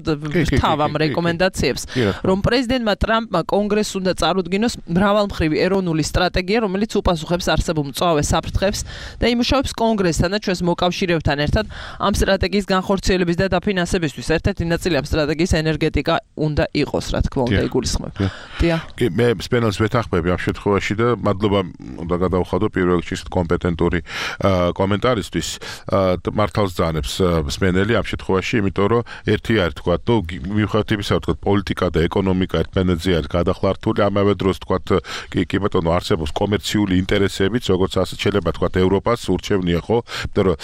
თავ ამ რეკომენდაციებს რომ პრეზიდენტმა ტრამპმა კონგრესს უნდა წარუდგინოს მრავალმხრივი ეროვნული სტრატეგია რომელიც უპასუხებს არსებულ მწვავე საფრთხებს და იმუშავებს კონგრესთან და ჩვენს მოკავშირეებთან ერთად ამ სტრატეგიის განხორციელების და დაფინანსებისთვის ერთ-ერთი ნაწილი ამ სტრატეგიის ენერგეტიკა უნდა იყოს რა თქმა უნდა იგულისხმებ. დიახ. კი მე სპენელს ვეთანხმები ამ შემთხვევაში და მადლობა უნდა გადავხადო პირველ რიგში კომპეტენტური კომენტარისთვის მართალს ძანებს სპენელი ამ შემთხვევაში იმიტომ რომ ერთი არის თქვა თუ მიუხედავად იმისა რომ თქვა პოლიტიკა და ეკონომიკა ერთმანეთზე არის გადახლართული ამავე დროს თქვა კი კი ბატონო არსებობს კომერციული ინტერესებიც როგორც ასე შეიძლება თქვა ევროპას ურჩევნია ხო იმიტომ რომ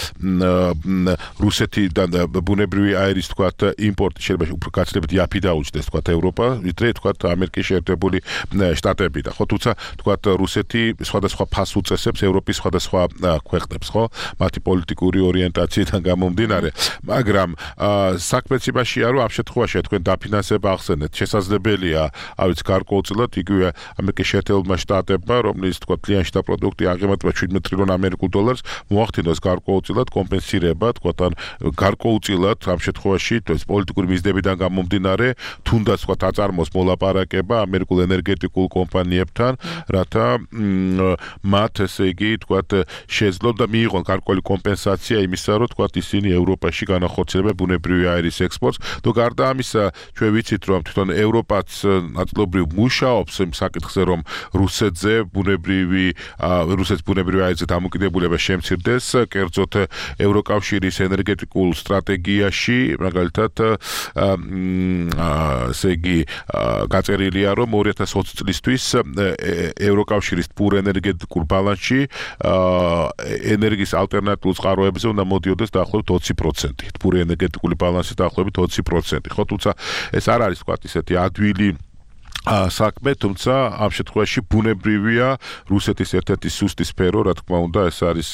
რუსეთიდან ბუნებრივი აირის თქვა იმპორტი შეიძლება უფრო გაცილებით იაფი დაუჭდეს თქვა ევროპა ვიდრე თქვა ამერიკის შეერთებული შტატები და ხო თუმცა თქვა რუსეთი სხვადასხვა ფასს უწესებს ევროპის სხვადასხვა ქვეყნებს ხო მათი პოლიტიკური ორიენტაციიდან გამომდინარე მაგრამ საქმეც იმაშია რომ ამ შემთხვევაში თქვენ დაფინანსება ახსენეთ შესაძლებელია ავიც გარკვეულწილად იგივე ამერიკის შეერთებულმა შტატებმა რომლის თქვა კლიანტ შტატ პროდუქტი აღემატება შვიდმეტ ტრილიონ ამერიკულ დოლარს მოახდინოს გარკვეულწილად კომპენსირება თქვა თან გარკვეულწილად ამ შემთხვევაში ეს პოლიტიკური მიზნებიდან გამომდინარე თუნდაც თქვა აწარმოს მოლაპარაკება ამერიკულ ენერგეტიკულ კომპანიებთან რათა მათ ესე იგი თქვა შეძლონ და მიიღონ გარკვეული კომპენსაცია იმისა რომ თქვა ისინი ევროპაში განახორციელებენ ბუნებრივი აირის ექსპორტს და გარდა ამისა ჩვენ ვიცით რომ თვითონ ევროპაც ნაწილობრივ მუშაობს იმ საკითხზე რომ რუსეთზე ბუნებრივი რუსეთის ბუნებრივი აირზე დამოკიდებულება შემცირდეს კერძოდ ევროკავშირის ენერგეტიკულ სტრატეგიაში მაგალითად ესე იგი გაწერილია რომ ორი ათას ოცი წლისთვის ევროკავშირის პურ ენერგეტიკულ ბალანსში ენერგიის ალტერნატიულ წყაროებზე უნდა მოდიოდეს დაახლოებით ოცი პროცენტი. პური ენერგეტიკული ბალანსი დაახლოებით ოცი პროცენტი. ხო თუმცა ეს არ არის თქვა ისეთი ადვილი საქმე, თუმცა ამ შემთხვევაში ბუნებრივია რუსეთის ერთ-ერთი სუსტი სფერო, რა თქმა უნდა, ეს არის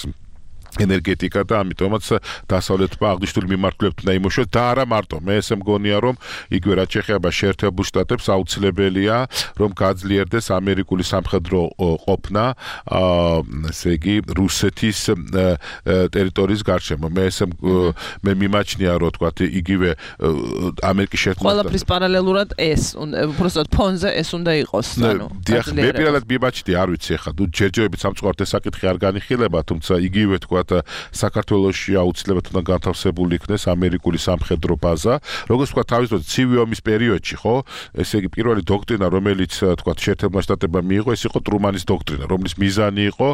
ენერგეტიკა და ამიტომაც დასავლეთმა აღნიშნული მიმართულებით უნდა იმუშაოს და არა მარტო მე ესე მგონია რომ იგივე რაც შეეხება შეერთებულ შტატებს აუცილებელია რომ გაძლიერდეს ამერიკული სამხედრო ყოფნა ესე იგი რუსეთის ტერიტორიის გარშემო მე ესე მე მიმაჩნია რომ თქვა იგივე ამერიკის შეერთებულ ყველაფრის პარალელურად ეს უბრალოდ ფონზე ეს უნდა იყოს ანუ დიახ მე პირადად მიმაჩნია არ ვიცი ახლა თუ ჯერჯერობით სამწუხაროდ ეს საკითხი არ განიხილება თუმცა იგივე თქვა საქართველოში აუცილებლად უნდა განთავსებული იქნეს ამერიკული სამხედრო ბაზა. როგორც თქვა თავის დროზე ცივი ომის პერიოდში, ხო? ესე იგი პირველი დოქტრინა, რომელიც თქვა შეერთებულმა შტატებმა მიიღო, ეს იყო ტრუმანის დოქტრინა, რომლის მიზანი იყო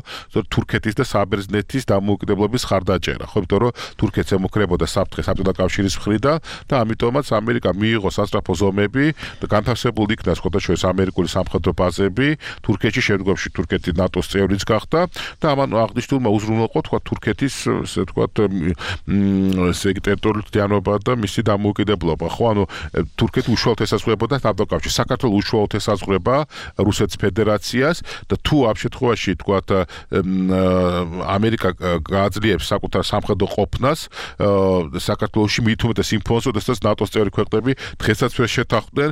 თურქეთის და საბერძნეთის დამოუკიდებლობის ხარდაჭერა, ხო? იმიტომ რომ თურქეთს ემუქრებოდა საფრთხე საბჭოთა კავშირის მხრიდან და ამიტომაც ამერიკა მიიღო სასწრაფო ზომები და განთავსებული იქნა სხვადასხვა ამერიკული სამხედრო ბაზები თურქეთში, შემდგომში თურქეთი ნატოს წევრიც გახდა და ამან აღნიშნულმა უზრუნველყო თქვა თურქეთის ესე ვთქვათ ესე იგი ტერიტორიულიანობა და მისი დამოუკიდებლობა ხო ანუ თურქეთი უშუალოდ ესაზღვრებოდა თავდაკავშირს საქართველოს უშუალოდ ესაზღვრება რუსეთის ფედერაციას და თუ ამ შემთხვევაში ვთქვათ ამერიკა გააძლიერებს საკუთარ სამხედრო ყოფნას საქართველოში მით უმეტეს იმ ფონზე როდესაც ნატოს წევრი ქვეყნები დღესაც ვერ შეთანხმდნენ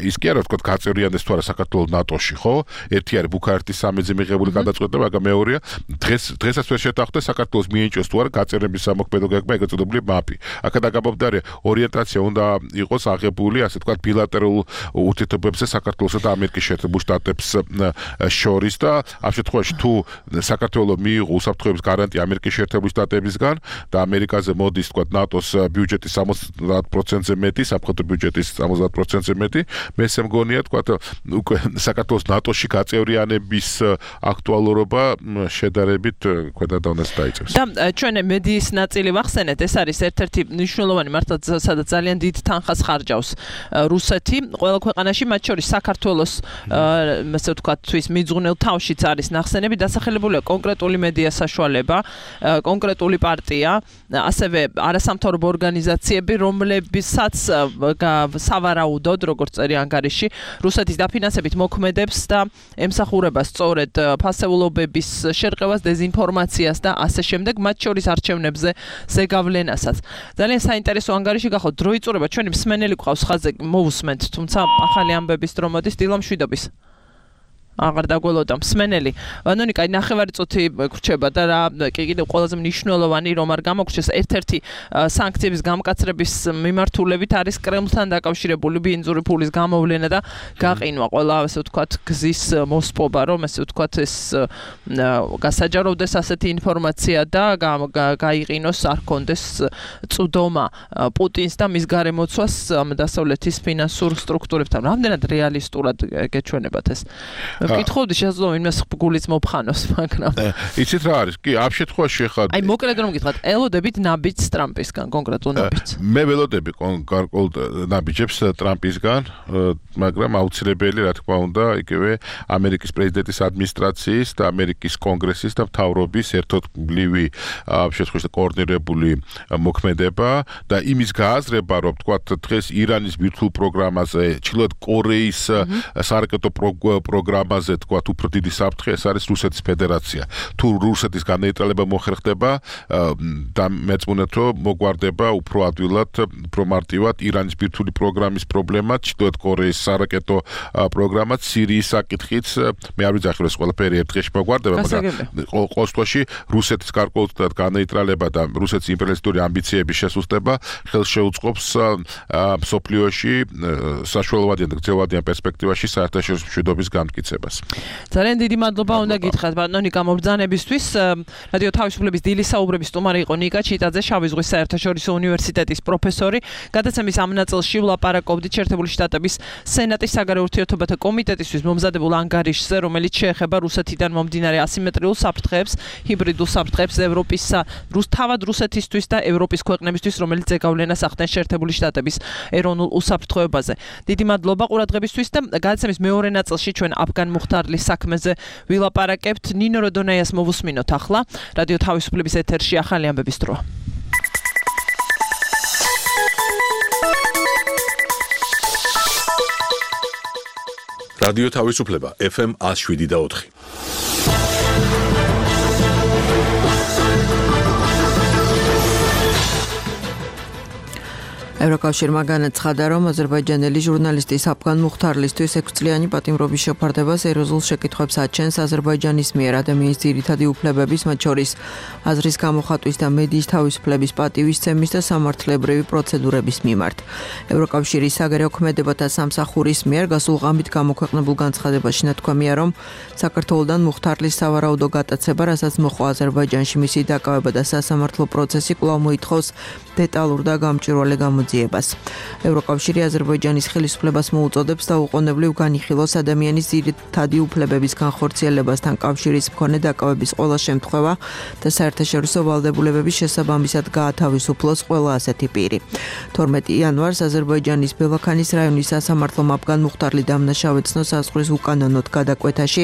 ის კი არა ვთქვათ გაწევრიანდეს თუ არა საქართველოს ნატოში ხო ერთი არის ბუქარესტის სამედზე მიღებული გადაწყვეტა მაგრამ მეორეა დღეს დღესაც ვერ შეთანხმდნენ საქართველოს მიენჭოს თუ არა გაწერების სამოქმედო გეგმა ეგრეთ წოდებული მაპი. აქედან გამომდინარე ორიენტაცია უნდა იყოს აღებული, ასე ვთქვათ, ბილატერალურ ურთიერთობებზე საქართველოსა და ამერიკის შეერთებულ შტატებს შორის და ამ შემთხვევაში თუ საქართველოს მიიღო უსაფრთხოების გარანტია ამერიკის შეერთებულ შტატებისგან და ამერიკაზე მოდის, ვთქვათ, ნატოს ბიუჯეტის სამოცდაათ პროცენტზე მეტი, სამხედრო ბიუჯეტის სამოცდაათ პროცენტზე მეტი, მე ესე მგონია, ვთქვათ, უკვე საქართველოს ნატოში გაწევრიანების აქტუალურობა შედარებით ქვედა დონეზე დაიწევს. და ჩვენ მედიის ნაწილი ვახსენეთ, ეს არის ერთ-ერთი მნიშვნელოვანი მართლაც სადაც ძალიან დიდ თანხას ხარჯავს რუსეთი ყველა ქვეყანაში, მათ შორის საქართველოს ასე ვთქვათ თვის მიძღვნილ თავშიც არის ნახსენები, დასახელებულია კონკრეტული მედია საშუალება, კონკრეტული პარტია, ასევე არასამთავრობო ორგანიზაციები, რომლებსაც სავარაუდოდ, როგორც წერია ანგარიში, რუსეთის დაფინანსებით მოქმედებს და ემსახურება სწორედ ფასეულობების შერყევას, დეზინფორმაციას და ასე შემდეგ, მათ შორის არჩევნებზე ზეგავლენასაც. ძალიან საინტერესო ანგარიში გახოთ, დრო იწურება, ჩვენი მსმენელი გვყავს ხაზზე, მოვუსმენთ, თუმცა ახალი ამბების დრო მოდის, დილა მშვიდობის. აღარ დაგველოდა მსმენელი. ვანონიკა, ნახევარი წუთი გრჩება და რა კი კიდევ ყველაზე მნიშვნელოვანი რომ არ გამოგრჩეს, ერთ-ერთი სანქციების გამკაცრების მიმართულებით არის კრემლთან დაკავშირებული ბინძური ფულის გამოვლენა და გაყინვა ყველა ასე ვთქვათ გზის მოსპობა, რომ ასე ვთქვათ ეს გასაჯაროვდეს ასეთი ინფორმაცია და გაიყინოს, არ კონდეს წვდომა პუტინს და მის გარემოცვას დასავლეთის ფინანსურ სტრუქტურებთან. რამდენად რეალისტურად გეჩვენებათ ეს? მეკითხავდი შესაძლოა იმას გულიც მოფხანოს, მაგრამ იცით რა არის? კი, ამ შემთხვევაში ხარ. აი მოკლედ რომ გითხრათ, ელოდებით ნაბიჯს ტრამპისგან, კონკრეტულ ნაბიჯს. მე ველოდები კონკრეტულ ნაბიჯებს ტრამპისგან, მაგრამ აუცილებელი რა თქმა უნდა, იგივე ამერიკის პრეზიდენტის ადმინისტრაციის და ამერიკის კონგრესის და მთავრობის ერთობლივი ამ შემთხვევაში კოორდინირებული მოქმედება და იმის გააზრება, რომ თქვათ დღეს ირანის ბირთვულ პროგრამაზე, ჩრდილოეთ კორეის სარაკეტო პროგრამაზე თქვათ უფრო დიდი საფრთხე ეს არის რუსეთის ფედერაცია. თუ რუსეთის განეიტრალება მოხერხდება და მეწმუნეთ რომ მოგვარდება უფრო ადვილად, უფრო მარტივად ირანის ბირთვული პროგრამის პრობლემა, ჩრდილოეთ კორეის სარაკეტო პროგრამა, სირიის საკითხიც, მე არ ვიცი ეს ყველაფერი ერთ დღეში მოგვარდება, მაგრამ ყოველ შემთხვევაში რუსეთის გარკვეულწილად განეიტრალება და რუსეთის იმპერიალისტური ამბიციების შესუსტება ხელს შეუწყობს მსოფლიოში საშუალოვადიან და გრძელვადიან პერსპექტივაში საერთაშორისო მშვიდობის განმტკიცებას. ძალიან დიდი მადლობა უნდა გითხრათ ბატონიკა მობრძანებისთვის. რადიო თავისუფლების დილის საუბრების სტუმარი იყო ნიკა ჩიტაძე, შავი ზღვის საერთაშორისო უნივერსიტეტის პროფესორი. გადაცემის ამ ნაწილში ვლაპარაკობდით შეერთებული შტატების სენატის საგარეო ურთიერთობათა კომიტეტისთვის მომზადებულ ანგარიშზე, რომელიც შეეხება რუსეთიდან მომდინარე ასიმეტრიულ საფრთხეებს, ჰიბრიდულ საფრთხეებს ევროპისა, თავად რუსეთისთვის და ევროპის ქვეყნებისთვის, რომელიც ზეგავლენას ახდენს შეერთებული შტატების ეროვნულ უსაფრთხოებაზე. დიდი მადლობა ყურადღებისთვის და გადაცემის მეორე ნაწილში ჩვენ აფგან მუხტარლის საქმეზე ვილაპარაკებთ. ნინო როდონაიას მოვუსმინოთ ახლა. რადიო თავისუფლების ეთერში ახალი ამბების დროა. რადიო თავისუფლება ეფ ემ one oh seven და four. ევროკავშირმა განაცხადა, რომ აზერბაიჯანელი ჟურნალისტის აფგან მუხტარლისთვის ექვსწლიანი პატიმრობის შეფარდება სერიოზულ შეკითხვებს აჩენს აზერბაიჯანის მიერ ადამიანის ძირითადი უფლებების, მათ შორის აზრის გამოხატვის და მედიის თავისუფლების პატივისცემის და სამართლებრივი პროცედურების მიმართ. ევროკავშირის საგარეო ქმედებათა სამსახურის მიერ გასულ ღამით გამოქვეყნებულ განცხადებაში ნათქვამია, რომ საქართველოდან მუხტარლის სავარაუდო გატაცება, რასაც მოჰყვა აზერბაიჯანში მისი დაკავება და სასამართლო პროცესი კვლავ მოითხოვს დეტალურ და გამჭვირვალე გამოძიებას. ევროკავშირი აზერბაიჯანის ხელისუფლებას მოუწოდებს დაუყოვნებლივ განიხილოს ადამიანის ძირითადი უფლებების განხორციელებასთან კავშირის მქონე დაკავების ყველა შემთხვევა და საერთაშორისო ვალდებულებების შესაბამისად გაათავისუფლოს ყველა ასეთი პირი. თორმეტი იანვარს აზერბაიჯანის ბელაქანის რაიონის სასამართლომ აფგან მუხტარლი დამნაშავეცნო საზღვრის უკანონოდ გადაკვეთაში,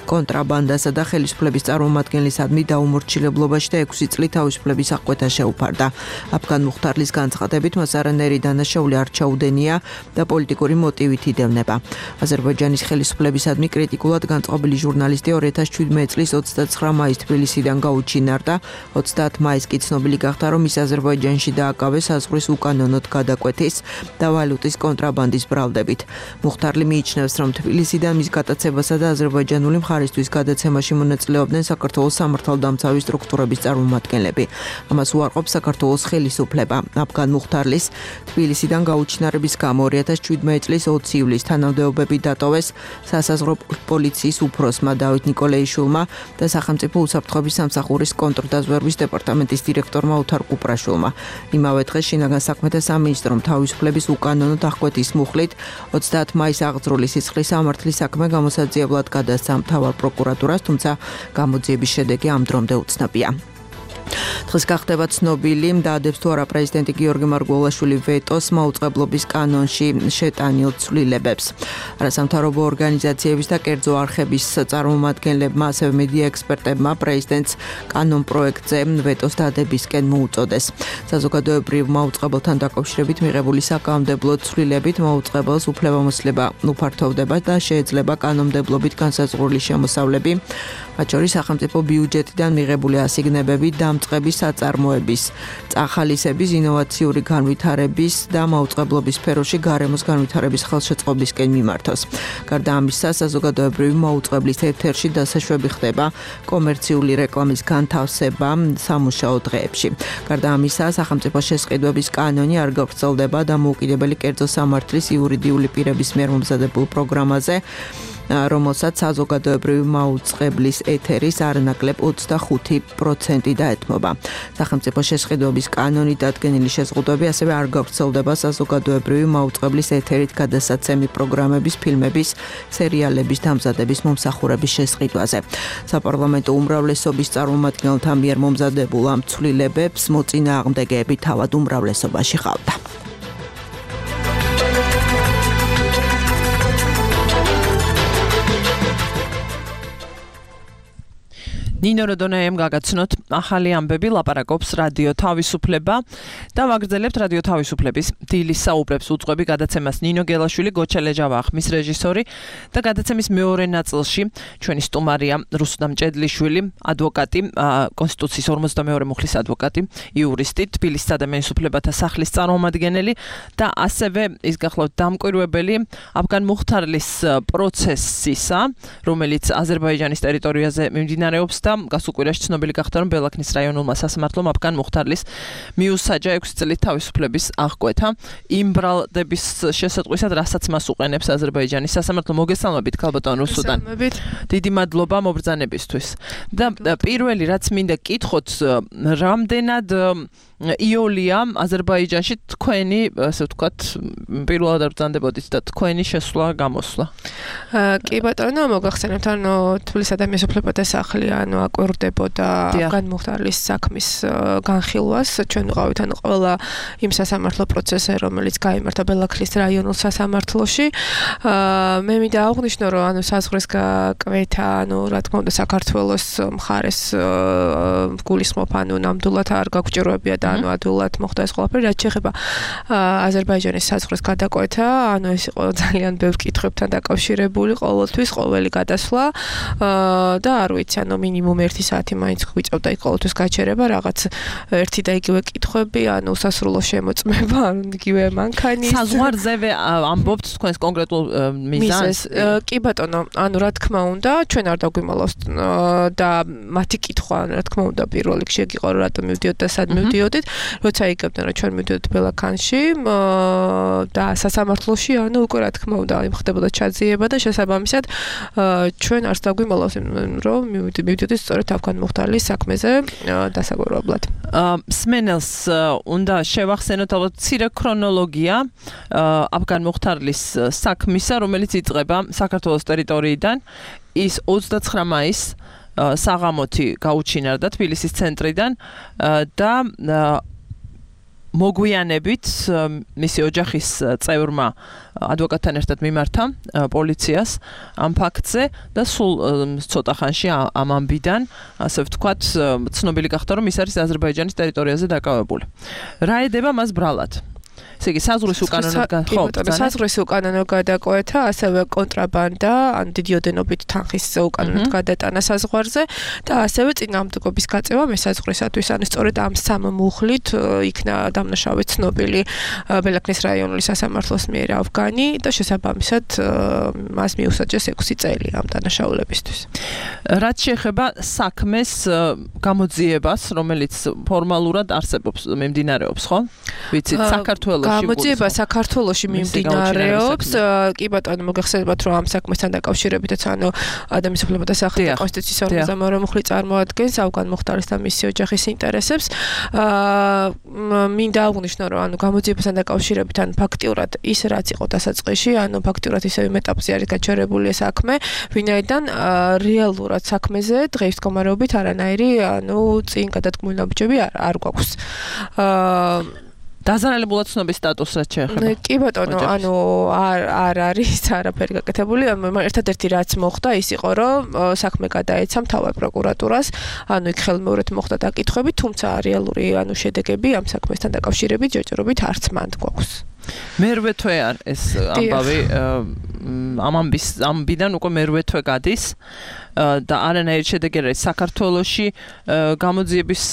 კონტრაბანდასა და ხელისუფლების წარმომადგენლისადმი დაუმორჩილებლობაში და ექვსი წლით თავისუფლების აღკვეთა შეუფარდა. აფგან მუხტარლის განცხადებით მას არანაირი დანაშაული არ ჩაუდენია და პოლიტიკური მოტივით იდევნება. აზერბაიჯანის ხელისუფლებისადმი კრიტიკულად განწყობილი ჟურნალისტი ორი ათას შვიდმეტი წლის ოცდაცხრა მაისს თბილისიდან გაუჩინარდა. ოცდაათ მაისს კი ცნობილი გახდა, რომ ის აზერბაიჯანში დააკავეს საზღვრის უკანონოდ გადაკვეთის და ვალუტის კონტრაბანდის ბრალდებით. მუხტარლი მიიჩნევს, რომ თბილისიდან მის გატაცებასა და აზერბაიჯანული მხარისთვის გადაცემაში მონაწილეობდნენ საქართველოს სამართალდამცავი სტრუქტურების წარმომადგენლები. ამას უარყოფს საქართველოს ხელისუფლება. აფგან მუხტარლის თბილისიდან გაუჩინარების გამო ორი ათას შვიდმეტი წლის ოცი ივლისს თანამდებობები დატოვეს სასაზღვრო პოლიციის უფროსმა დავით ნიკოლეიშვილმა და სახელმწიფო უსაფრთხოების სამსახურის კონტრდაზვერვის დეპარტამენტის დირექტორმა ოთარ კუპრაშვილმა. იმავე დღეს შინაგან საქმეთა სამინისტრომ თავისუფლების უკანონოდ აღკვეთის მუხლით ოცდაათ მაისს აღძრული სიცხლის სამართლის საქმე გამოსაძიებლად გადასცა მთავარ პროკურატურას, თუმცა გამოძიების შედეგი ამ დრომდე უცნობია. დღეს გახდება ცნობილი, დაადებს თუ არა პრეზიდენტი გიორგი მარგველაშვილი ვეტოს მაუწყებლობის კანონში შეტანილ ცვლილებებს. არასამთავრობო ორგანიზაციების და კერძო არხების წარმომადგენლებმა, ასევე მედია ექსპერტებმა პრეზიდენტს კანონ პროექტზე ვეტოს დადებისკენ მოუწოდეს. საზოგადოებრივ მაუწყებელთან დაკავშირებით მიღებული საკანონმდებლო ცვლილებით მაუწყებელს უფლებამოსილება უფართოვდება და შეეძლება კანონმდებლობით განსაზღვრული შემოსავლები, მათ შორის სახელმწიფო ბიუჯეტიდან მიღებული ასიგნებები, დამწყების საწარმოების, წახალისების, ინოვაციური განვითარების და მაუწყებლობის სფეროში გარემოს განვითარების ხელშეწყობისკენ მიმართოს. გარდა ამისა, საზოგადოებრივი მაუწყებლის ეთერში დასაშვები ხდება კომერციული რეკლამის განთავსება სამუშაო დღეებში. გარდა ამისა, სახელმწიფო შესყიდვების კანონი არ გავრცელდება დამოუკიდებელი კერძო სამართლის იურიდიული პირების მიერ მომზადებულ პროგრამაზე, რომელსაც საზოგადოებრივი მაუწყებლის ეთერის არნაკლებ ოცდახუთი პროცენტი დაეთმობა. სახელმწიფო შესყიდვების კანონით დადგენილი შეზღუდვები ასევე არ გავრცელდება საზოგადოებრივი მაუწყებლის ეთერით გადასაცემი პროგრამების, ფილმების, სერიალების დამზადების მომსახურების შესყიდვაზე. საპარლამენტო უმრავლესობის წარმომადგენელთა მიერ მომზადებულ ამ ცვლილებებს მოწინააღმდეგეები თავად უმრავლესობაში ჰყავდა. ნინო როდონაიამ გაგაცნოთ ახალი ამბები, ლაპარაკობს რადიო თავისუფლება და ვაგრძელებთ რადიო თავისუფლების დილის საუბრებს უძღვები გადაცემას ნინო გელაშვილი, გოჩა ლეჯავა ხმის რეჟისორი და გადაცემის მეორე ნაწილში ჩვენი სტუმარია რუსუდამ ჭედლიშვილი, ადვოკატი, კონსტიტუციის ორმოცდამეორე მუხლის ადვოკატი, იურისტი, თბილისის ადამიანის უფლებათა სახლის წარმომადგენელი და ასევე ის გახლავთ დამკვირვებელი აფგან მუხთარლის პროცესისა, რომელიც აზერბაიჯანის ტერიტორიაზე მიმდინარეობს და გასულ კვირაში ცნობილი გახდა, რომ ბელაქნის რაიონულმა სასამართლომ აფგან მუხთარლის მიუსაჯა ექვსი წლის თავისუფლების აღკვეთა იმ ბრალდების შესატყვისად, რასაც მას უყენებს აზერბაიჯანის სასამართლო. მოგესალმებით, ქალბატონ რუსუდან. დიდი მადლობა მობრძანებისთვის. და პირველი რაც მინდა გკითხოთ, რამდენად იოლია აზერბაიჯანში თქვენი, ასე ვთქვათ, პირველად ბრძანდებოდით და თქვენი შესვლა გამოსვლა. კი ბატონო, მოგახსენებთ, ანუ თბილისის ადამიანის უფლებათა სახლი ანუ აკვირდებოდა აფგან მუხთარლის საქმის განხილვას. ჩვენ ვიყავით ანუ ყველა იმ სასამართლო პროცესზე, რომელიც გაიმართა ბელაქლის რაიონულ სასამართლოში. მე მინდა აღვნიშნო, რომ ანუ საზღვრის გაკვეთა, ანუ რა თქმა უნდა საქართველოს მხარეს გულისხმობ, ანუ ნამდვილად არ გაგვჭიროებია და ანუ ადვილად მოხდა ეს ყველაფერი. რაც შეეხება აზერბაიჯანის საზღვრის გადაკვეთა, ანუ ეს იყო ძალიან ბევრ კითხვებთან დაკავშირებული, ყოველთვის ყოველი გადასვლა და არ ვიცი, ანუ მინიმუმ ერთი საათი მაინც გვიწევდა იქ ყოველთვის გაჩერება, რაღაც ერთი და იგივე კითხვები, ანუ სასრულო შემოწმება, ანუ იგივე მანქანის. საზღვარზე ამბობთ თქვენს კონკრეტულ მიზანს? კი ბატონო, ანუ რა თქმა უნდა, ჩვენ არ დაგვიმალავს და მათი კითხვა, რა თქმა უნდა, პირველ რიგში იყო, რომ რატომ მივდიოთ და სად მივდიოდით, როცა იგებდნენ, რომ ჩვენ მივდიოთ ბელაქანში და სასამართლოში, ანუ უკვე რა თქმა უნდა, ხდებოდა ჩაძიება და შესაბამისად ჩვენ არც დაგვიმალავს, რომ მივდიოდით სწორედ აფგან მუხთარლის საქმეზე დასაგვირებლად. სმენელს უნდა შევახსენოთ ალბათ მცირე ქრონოლოგია აფგან მუხთარლის საქმისა, რომელიც იწყება საქართველოს ტერიტორიიდან. ის ოცდაცხრა მაისს საღამოთი გაუჩინარდა თბილისის ცენტრიდან და მოგვიანებით მისი ოჯახის წევრმა ადვოკატთან ერთად მიმართა პოლიციას ამ ფაქტზე და სულ ცოტა ხანში ამ ამბიდან, ასე ვთქვათ, ცნობილი გახდა, რომ ის არის აზერბაიჯანის ტერიტორიაზე დაკავებული. რა ედება მას ბრალად? ესე იგი საზღვრის უკანონო საზღვრის უკანონო გადაკვეთა, ასევე კონტრაბანდა, ან დიდი ოდენობით თანხის უკანონოდ გადატანა საზღვარზე და ასევე წინააღმდეგობის გაწევა მესაზღვრისათვის, ანუ სწორედ ამ სამ მუხლით იქნა დამნაშავე ცნობილი ბელაქნის რაიონული სასამართლოს მიერ აფგანი და შესაბამისად მას მიუსაჯეს ექვსი წელი ამ დანაშაულებისთვის. რაც შეეხება საქმეს გამოძიებას, რომელიც ფორმალურად არსებობს, მიმდინარეობს, ხო? ვიცით, საქართველოს გამოძიება საქართველოში მიმდინარეობს. კი ბატონო, მოგეხსენებათ, რომ ამ საქმესთან დაკავშირებითაც ანუ ადამიანის უფლებათა სახალხო კონსტიტუციის ორმოცდამეორე მუხლი წარმოადგენს ავგან მუხტარის და მისი ოჯახის ინტერესებს. აა მინდა აღვნიშნო, რომ ანუ გამოძიებასთან დაკავშირებით ან ფაქტიურად ის რაც იყო დასაწყისში, ანუ ფაქტიურად ისევ იმ ეტაპზე არის გაჩერებული საქმე, ვინაიდან რეალურად საქმეზე დღეის მდგომარეობით არანაირი ანუ წინ გადადგმული ნაბიჯები არ არ გვაქვს. აა დაზარალებულად ცნობის სტატუსს რაც შეეხება. კი ბატონო, ანუ არ არ არის არაფერი გაკეთებული. ერთადერთი რაც მოხდა ის იყო, რომ საქმე გადაეცა მთავარ პროკურატურას, ანუ იქ ხელმეორედ მოხდა დაკითხვები, თუმცა რეალური ანუ შედეგები ამ საქმესთან დაკავშირებით ჯერჯერობით არც მანდ გვაქვს. მერვე თვე არ ეს ამბავი ამ ამბის ამბიდან უკვე მერვე თვე გადის და არანაირი შედეგი არ არის საქართველოში გამოძიების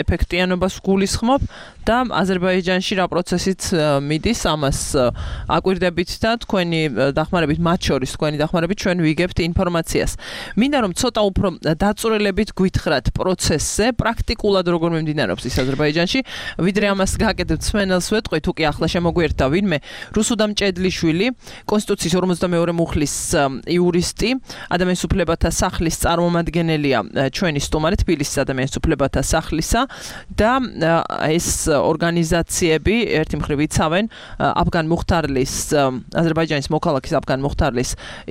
ეფექტიანობას გულისხმობ და აზერბაიჯანში რა პროცესით მიდის ამას აკვირდებით და თქვენი დახმარებით მათ შორის თქვენი დახმარებით ჩვენ ვიგებთ ინფორმაციას. მინდა რომ ცოტა უფრო დაწვრილებით გვითხრათ პროცესზე, პრაქტიკულად როგორ მიმდინარეობს ის აზერბაიჯანში, ვიდრე ამას გაკეთებთ სვენელს ვეტყვით, თუ კი ახლა შემოგვიერთდა ვინმე რუსუდამ ჭედლიშვილი, კონსტიტუციის ორმოცდამეორე მუხლის იურისტი, ადამიანის უფლებათა სახლის წარმომადგენელია ჩვენი სტუმარი თბილისის ადამიანის უფლებათა სახლისა და ეს ორგანიზაციები ერთი მხრივ იცავენ აფგან მუხტარლის აზერბაიჯანის მოქალაქის აფგან მუხტარლის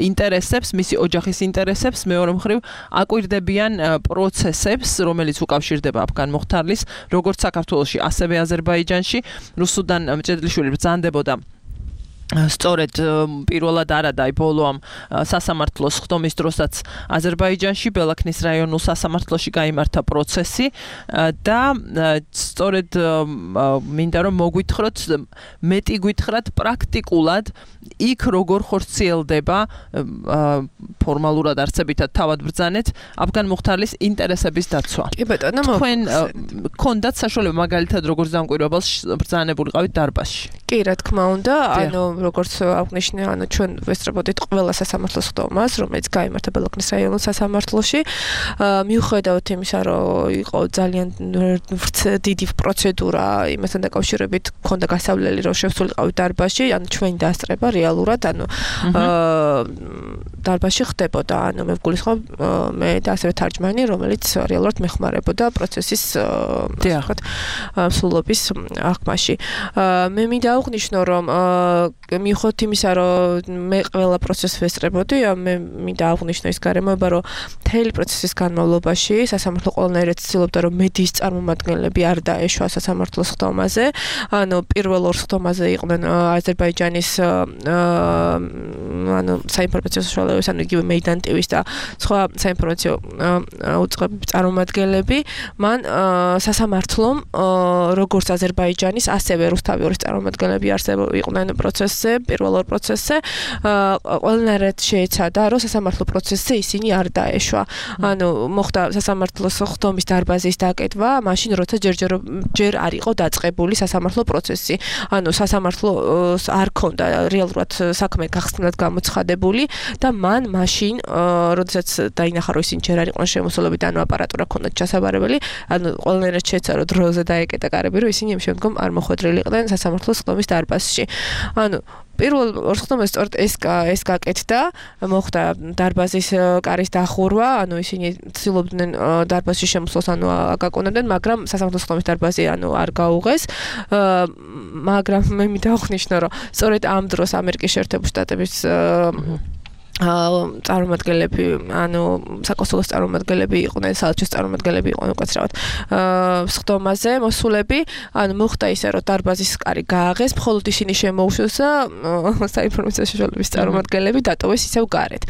ინტერესებს, მისი ოჯახის ინტერესებს, მეორე მხრივ აკვირდებიან პროცესებს, რომელიც უკავშირდება აფგან მუხტარლის როგორც საქართველოში, ასევე აზერბაიჯანში. რუსუდან ჭედლიშვილი ბრძანდებოდა სწორედ პირველად არა და ბოლო ამ სასამართლოს ხდომის დროსაც აზერბაიჯანში ბელაქნის რაიონულ სასამართლოში გაიმართა პროცესი და სწორედ მინდა რომ მოგვითხროთ მეტი გვითხრათ პრაქტიკულად იქ როგორ ხორციელდება ფორმალურად არცებითად თავად ბრძანეთ აფგან მუხტარლის ინტერესების დაცვა. კი ბატონო, თქვენ გქონდათ საშუალება მაგალითად როგორც დამკვირვებელს ბრძანებულიყავით დარბაზში? კი, რა თქმა უნდა, ანუ როგორც აღნიშნე, ანუ ჩვენ ვესწრებოდით ყველა სასამართლოს ხდომას, რომელიც გაიმართა ბელაქნის რაიონულ სასამართლოში. მიუხედავად იმისა, რომ იყო ძალიან დიდი პროცედურა იმასთან დაკავშირებით, ქონდა გასავლელი, რომ შევსულიყავით დარბაზში, ანუ ჩვენი დასწრება რეალურად, ანუ დარბაზში ხდებოდა, ანუ მე ვგულისხმობ მე და ასევე თარჯმანი, რომელიც რეალურად მეხმარებოდა პროცესის ვთქვათ, სრულობის აღქმაში. მე მინდა აღვნიშნო, რომ მიუხედავად იმისა, რომ მე ყველა პროცესს ვესწრებოდი, მე მინდა აღვნიშნო ის გარემოება, რომ მთელი პროცესის განმავლობაში სასამართლო ყველანაირად ცდილობდა, რომ მედიის წარმომადგენლები არ დაეშვა სასამართლოს ხდომაზე. ანუ პირველ ორ ხდომაზე იყვნენ აზერბაიჯანის ანუ საინფორმაციო საშუალებების, ანუ იგივე მეიდან ტივის და სხვა საინფორმაციო უწყებების წარმომადგენლები. მან სასამართლომ როგორც აზერბაიჯანის, ასევე რუსთავის წარმომადგენლები იყვნენ პროცესზე, პირველ ორ პროცესზე, ყველანაირად შეეცადა, რომ სასამართლო პროცესზე ისინი არ დაეშვა. ანუ მოხდა სასამართლოს ხდომის დარბაზის დაკეთვა, მაშინ როცა ჯერჯერ ჯერ არ იყო დაწყებული სასამართლო პროცესი. ანუ სასამართლოს არ ქონდა რეალურად საქმე გახსნილად გამოცხადებული და მან მაშინ, როდესაც დაინახა, რომ ისინი ჯერ არ იყვნენ შემოსულები და ანუ აპარატურა ქონდათ ჩასაბარებელი, ანუ ყველანაირად შეეცადა, რომ დროზე დაეკეტა კარები, რომ ისინი იმ შემდგომ არ მოხვედრილი იყვნენ სასამართლოს ხდომის დარბაზში. ანუ პირველ ორ ხდომას სწორედ ეს ეს გაკეთდა, მოხდა დარბაზის კარის დახურვა, ანუ ისინი ცდილობდნენ დარბაზში შემოსვლას, ანუ აკაკუნებდნენ, მაგრამ სასამართლოს ხდომის დარბაზი ანუ არ გაუღეს. მაგრამ მე მინდა აღვნიშნო, რომ სწორედ ამ დროს ამერიკის შეერთებული შტატების წარმომადგენლები, ანუ საკონსულოს წარმომადგენლები იყვნენ, საელჩოს წარმომადგენლები იყვნენ უკაცრავად ხდომაზე მოსულები, ანუ მოხდა ისე, რომ დარბაზის კარი გააღეს, მხოლოდ ისინი შემოუშვეს და საინფორმაციო საშუალებების წარმომადგენლები დატოვეს ისევ გარეთ.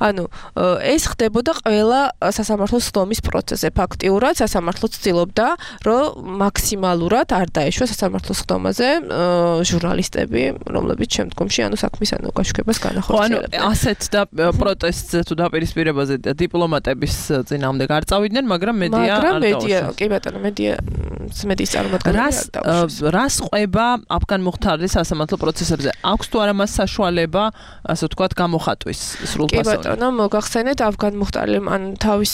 ანუ ეს ხდებოდა ყველა სასამართლოს ხდომის პროცესზე. ფაქტიურად სასამართლო ცდილობდა, რომ მაქსიმალურად არ დაეშვა სასამართლოს ხდომაზე ჟურნალისტები, რომლებიც შემდგომში ანუ საქმის ანუ გაშუქებას განახორციელებდნენ. ანუ ასეთ და პროტესტზე თუ დაპირისპირებაზე დიპლომატების წინააღმდეგ არ წავიდნენ, მაგრამ მედია არ მაგრამ მედია, კი ბატონო, მედია მედიის წარმომადგენლები არ დაუშვეს. რას ყვება აფგან მუხთარის სასამართლო პროცესებზე? აქვს თუ არა მას საშუალება, ასე ვთქვათ, გამოხატვის სრულფასოვნად? კი ბატონო, მოგახსენეთ, აფგან მუხტარიმ ან თავის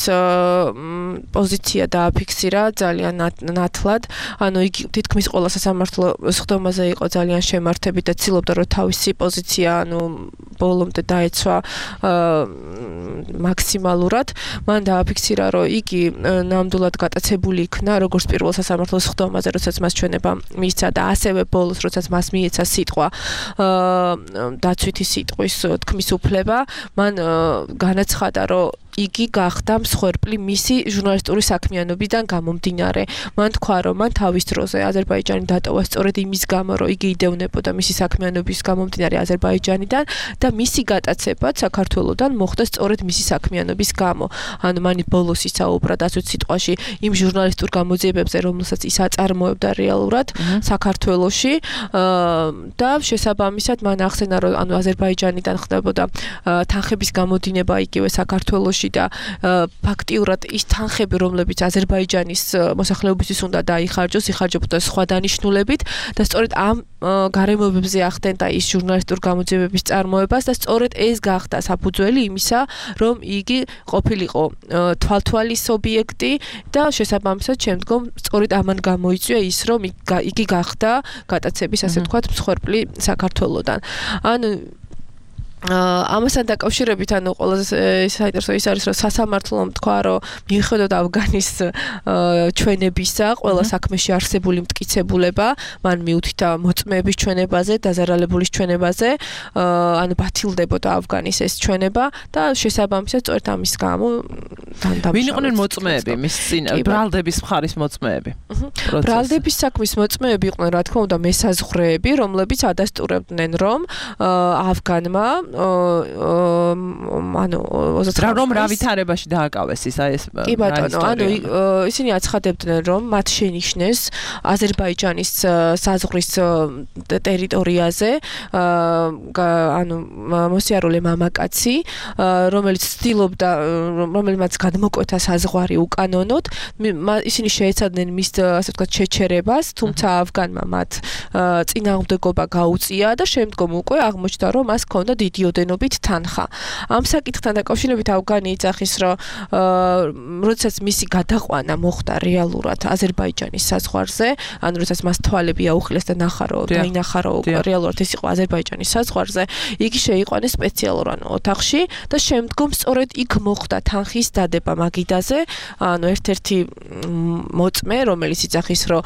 პოზიცია დააფიქსირა ძალიან ნათლად. ანუ იგი თითქმის ყველა სასამართლო სხდომაზე იყო ძალიან შემართებით და ცდილობდა რომ თავისი პოზიცია, ანუ ბოლომდე დაეცვა მაქსიმალურად. მან დააფიქსირა, რომ იგი ნამდვილად გატაცებული იქნა როგორც პირველ სასამართლო სხდომაზე, როდესაც მას ჩვენება მისცა და ასევე ბოლოს, როდესაც მას მიეცა სიტყვა დაცვითი სიტყვის თქმის უფლება, მან განაცხადა, რომ იგი გახდა მსხვერპლი მისი ჟურნალისტური საქმიანობიდან გამომდინარე. მან თქვა, რომ მან თავის დროზე აზერბაიჯანი დატოვა სწორედ იმის გამო, რომ იგი იდევნებოდა მისი საქმიანობის გამომდინარე აზერბაიჯანიდან და მისი გატაცებაც საქართველოსთან მოხდა სწორედ მისი საქმიანობის გამო. ანუ მან ბოლოს ისაუბრა დაცვით სიტყვაში იმ ჟურნალისტურ გამოძიებებზე, რომელსაც ის აწარმოებდა რეალურად საქართველოში და შესაბამისად მან ახსენა, რომ ანუ აზერბაიჯანიდან ხდებოდა თანხების გამოდინება იგივე საქართველოში და ფაქტიურად ის თანხები, რომლებიც აზერბაიჯანის მოსახლეობისთვის უნდა დაიხარჯოს, იხარჯებოდა სხვა დანიშნულებით და სწორედ ამ გარემოებებზე ახდენდა ის ჟურნალისტურ გამოძიებების წარმოებას და სწორედ ეს გახდა საფუძველი იმისა, რომ იგი ყოფილიყო თვალთვალის ობიექტი და შესაბამისად შემდგომ სწორედ ამან გამოიწვია ის, რომ იგი გახდა გატაცების, ასე ვთქვათ, მსხვერპლი საქართველოსთან. ანუ ამასთან დაკავშირებით, ანუ ყველაზე საინტერესო ის არის, რომ სასამართლომ თქვა, რომ მიუხედავად ავგანის ჩვენებისა, ყველა საქმეში არსებული მტკიცებულება, მან მიუთითა მოწმეების ჩვენებაზე, დაზარალებულის ჩვენებაზე, ანუ ბათილდებოდა ავგანის ეს ჩვენება და შესაბამისად სწორედ ამის გამო დამდამშავეს. ვინ იყვნენ მოწმეები მის წინ? ბრალდების მხარის მოწმეები. ბრალდების საქმის მოწმეები იყვნენ, რა თქმა უნდა, მესაზღვრეები, რომლებიც ადასტურებდნენ, რომ ავგანმა ანუ რომ რა ვითარებაში დააკავეს ის აი ეს კი ბატონო, ანუ ისინი აცხადებდნენ, რომ მათ შენიშნეს აზერბაიჯანის საზღვრის ტერიტორიაზე ანუ მოსიარულე მამაკაცი, რომელიც ცდილობდა, რომელმაც გადმოკვეთა საზღვარი უკანონოდ, ისინი შეეცადნენ მის, ასე ვთქვათ, შეჩერებას, თუმცა ავგანმა მათ წინააღმდეგობა გაუწია და შემდგომ უკვე აღმოჩნდა, რომ მას ჰქონდა დიდი ოდენობით თანხა. ამ საკითხთან დაკავშირებით ავგანი იძახის, რომ როდესაც მისი გადაყვანა მოხდა რეალურად აზერბაიჯანის საზღვარზე, ანუ როდესაც მას თვალები აუხილეს და ნახა, რომ დაინახა, რომ რეალურად ის იყო აზერბაიჯანის საზღვარზე, იგი შეიყვანეს სპეციალურ ანუ ოთახში და შემდგომ სწორედ იქ მოხდა თანხის დადება მაგიდაზე, ანუ ერთ-ერთი მოწმე, რომელიც იძახის, რომ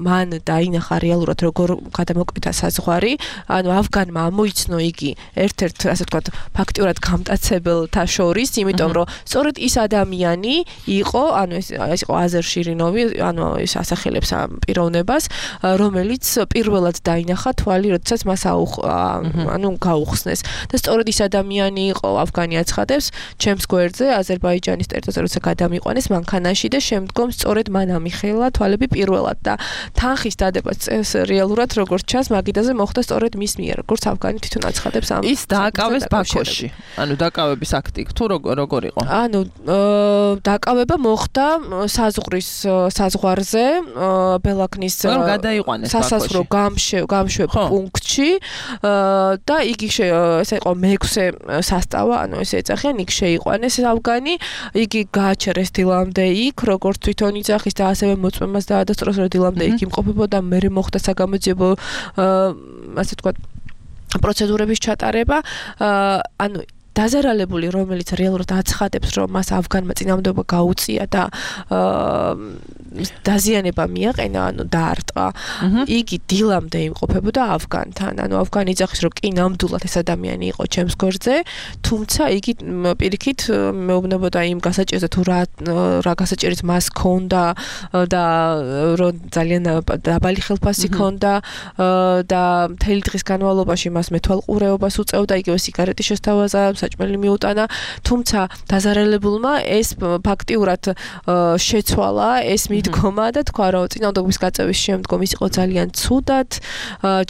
მან დაინახა რეალურად როგორ გადამოკვეთა საზღვარი, ანუ ავგანმა ამოიცნო იგი ერთ-ერთ, ასე ვთქვათ, ფაქტიურად გამტაცებელთა შორის, იმიტომ რომ სწორედ ის ადამიანი იყო, ანუ ეს ეს იყო აზერ შირინოვი, ანუ ეს ასახელებს ამ პიროვნებას, რომელიც პირველად დაინახა თვალი, როდესაც მას ანუ გაუხსნეს. და სწორედ ის ადამიანი იყო, ავგანი აცხადებს, ჩემს გვერდზე აზერბაიჯანის ტერიტორიაზე როცა გადამიყვანეს მანქანაში და შემდგომ სწორედ მან ამიხელა თვალები პირველად და თანხის დადებაც რეალურად როგორც ჩანს მაგიდაზე მოხდა სწორედ მის მიერ, როგორც ავგანი თვითონ აცხადებს ამ ის დააკავეს ბაქოში. ანუ დაკავების აქტი თუ როგორ იყო? ანუ დაკავება მოხდა საზღვრის საზღვარზე, ბელაქნის სასაზღვრო გამშვებ პუნქტში და იგი ესე იყო მეექვსე სასტავა, ანუ ესე ეძახიან, იქ შეიყვანეს ავგანი, იგი გააჩერეს დილამდე იქ, როგორც თვითონ იძახის და ასევე მოწმემას დაადასტურეს, რომ დილამდე იქ იმყოფებოდა, მერე მოხდა საგამოძიებო ასე ვთქვათ პროცედურების ჩატარება, ანუ დაზარალებული, რომელიც რეალურად აცხადებს, რომ მას ავგანმა წინააღმდეგობა გაუწია და დაზიანება მიაყენა, ანუ დაარტყა. იგი დილამდე იმყოფებოდა ავგანთან. ანუ ავგანი იძახის, რომ კი ნამდვილად ეს ადამიანი იყო ჩემს გვერდზე, თუმცა იგი პირიქით მეუბნებოდა იმ გასაჭირზე, თუ რა რა გასაჭირიც მას ჰქონდა და რომ ძალიან დაბალი ხელფასი ჰქონდა და მთელი დღის განმავლობაში მას მეთვალყურეობას უწევდა, იგივე სიგარეტის შესთავაზებაც საჭმელი მიუტანა, თუმცა დაზარალებულმა ეს ფაქტიურად შეცვალა ეს მიდგომა და თქვა რომ წინააღმდეგობის გაწევის შემდგომ ის იყო ძალიან ცუდად,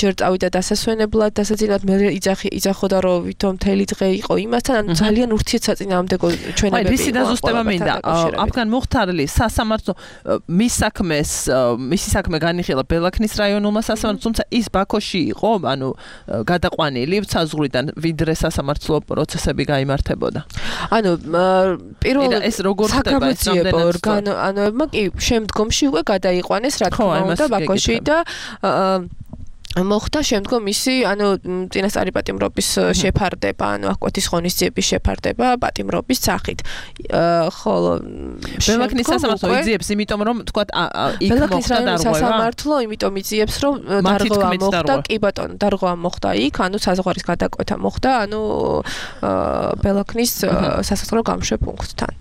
ჯერ წავიდა დასასვენებლად, დასაძინად მე იძახოდა რომ ვითომ მთელი დღე იყო იმასთან, ანუ ძალიან ურთიერთსაწინააღმდეგო ჩვენებები. აი, ვისი დაზუსტება მინდა. აფგან მუხთარლის სასამართლო მის საქმეს, მისი საქმე განიხილა ბელაქნის რაიონულმა სასამართლომ, თუმცა ის ბაქოში იყო, ანუ გადაყვანილი საზღვრიდან, ვიდრე სასამართლო პროცესები გაიმართებოდა. ანუ პირველ ეს როგორ ხდება ეს რამდენად ანუ კი შემდგომში უკვე გადაიყვანეს რა თქმა უნდა ბაქოში და მოხდა შემდგომ ისი ანუ წინასწარი პატიმრობის შეფარდება, ანუ აკვეთის ღონისძიების შეფარდება პატიმრობის სახით. ხოლო ბელაქნის სასამართლო იძიებს, იმიტომ რომ თქვა იქ მოხდა დარღვევა. სასამართლო იმიტომ იძიებს, რომ დარღვევა მოხდა, კი ბატონო, დარღვევა მოხდა იქ, ანუ საზღვარის გადაკვეთა მოხდა, ანუ ბელაქნის სასამართლო გამშვე პუნქტთან.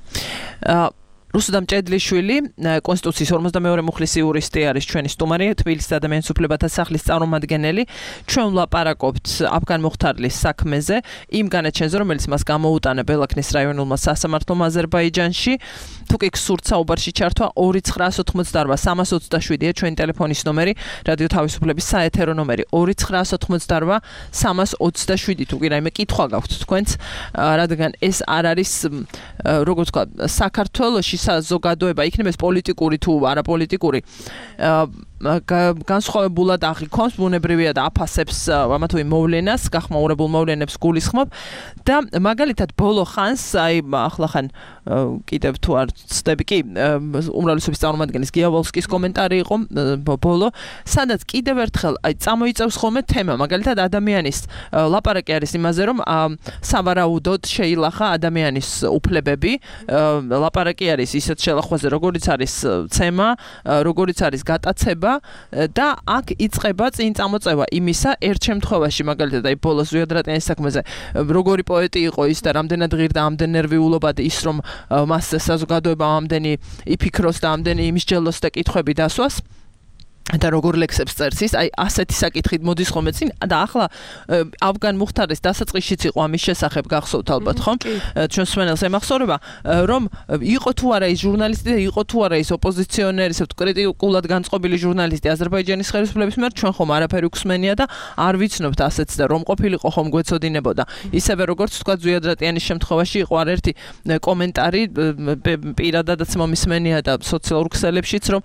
რუსუდამ ჭედლიშვილი, კონსტიტუციის ორმოცდამეორე მუხლის იურისტი არის ჩვენი სტუმარი, თბილისის ადამიანის უფლებათა სახლის წარმომადგენელი. ჩვენ ვლაპარაკობთ აფგან მუხთარლის საქმეზე, იმ განაჩენზე, რომელიც მას გამოუტანა ბელაქნის რაიონულმა სასამართლომ აზერბაიჯანში. თუ კი გსურთ საუბარში ჩართვა ორი ცხრაას ოცდაოთხმოცდაარბა სამას ოცდაშვიდია ჩვენი ტელეფონის ნომერი, რადიო თავისუფლების საეთერო ნომერი ორი ცხრაას ოცდაოთხმოცდაარბა სამას ოცდაშვიდი. თუ კი რაიმე კითხვა გაქვთ თქვენც, რადგან ეს არ არის როგორ ვთქვა, საქართველოში საზოგადოება, იქნება ეს პოლიტიკური თუ არაპოლიტიკური, განსხვავებულად აღიქონს, ბუნებრივია და აფასებს ამა თუ იმ მოვლენას, გახმაურებულ მოვლენებს გულისხმობ და მაგალითად ბოლო ხანს, აი ახლა ხან კიდევ თუ არ ცდები კი, უმრავლესობის წარმომადგენლის გიავალსკის კომენტარი იყო ბოლო, სადაც კიდევ ერთხელ აი წამოიწევს ხოლმე თემა, მაგალითად ადამიანის ლაპარაკი არის იმაზე, რომ სავარაუდოდ შეილახა ადამიანის უფლებები, ლაპარაკი არის ისეთ შელახვაზე, როგორიც არის ცემა, როგორიც არის გატაცება და აქ იწყება წინ წამოწევა იმისა, ერთ შემთხვევაში მაგალითად აი ბოლოს ზვიად-რატიანის საქმეზე როგორი პოეტი იყო ის და რამდენად ღირდა ამდენ ნერვიულობა და ის რომ მას საზოგადოება ამდენი იფიქროს და ამდენი იმისჯელოს და კითხვები დასვას და როგორ ლექსებს წერს ის, აი ასეთი საკითხით მოდის ხოლმე წინ და ახლა აფგან მუხთარის დასაწყისშიც იყო ამის შესახებ გახსოვთ ალბათ ხომ? ჩვენ სვენელს ემახსოვრება, რომ იყო თუ არა ის ჟურნალისტი და იყო თუ არა ის ოპოზიციონერი, ისე კრიტიკულად განწყობილი ჟურნალისტი აზერბაიჯანის ხელისუფლების მიერ, ჩვენ ხომ არაფერი უხსმენია და არ ვიცნობთ ასეთს და რომ ყოფილიყო ხომ გვეცოდინებოდა. ისევე როგორც თქვა ზვიად-რატიანის შემთხვევაში იყო არ ერთი კომენტარი პირადადაც მომისმენია და სოციალურ ქსელებშიც, რომ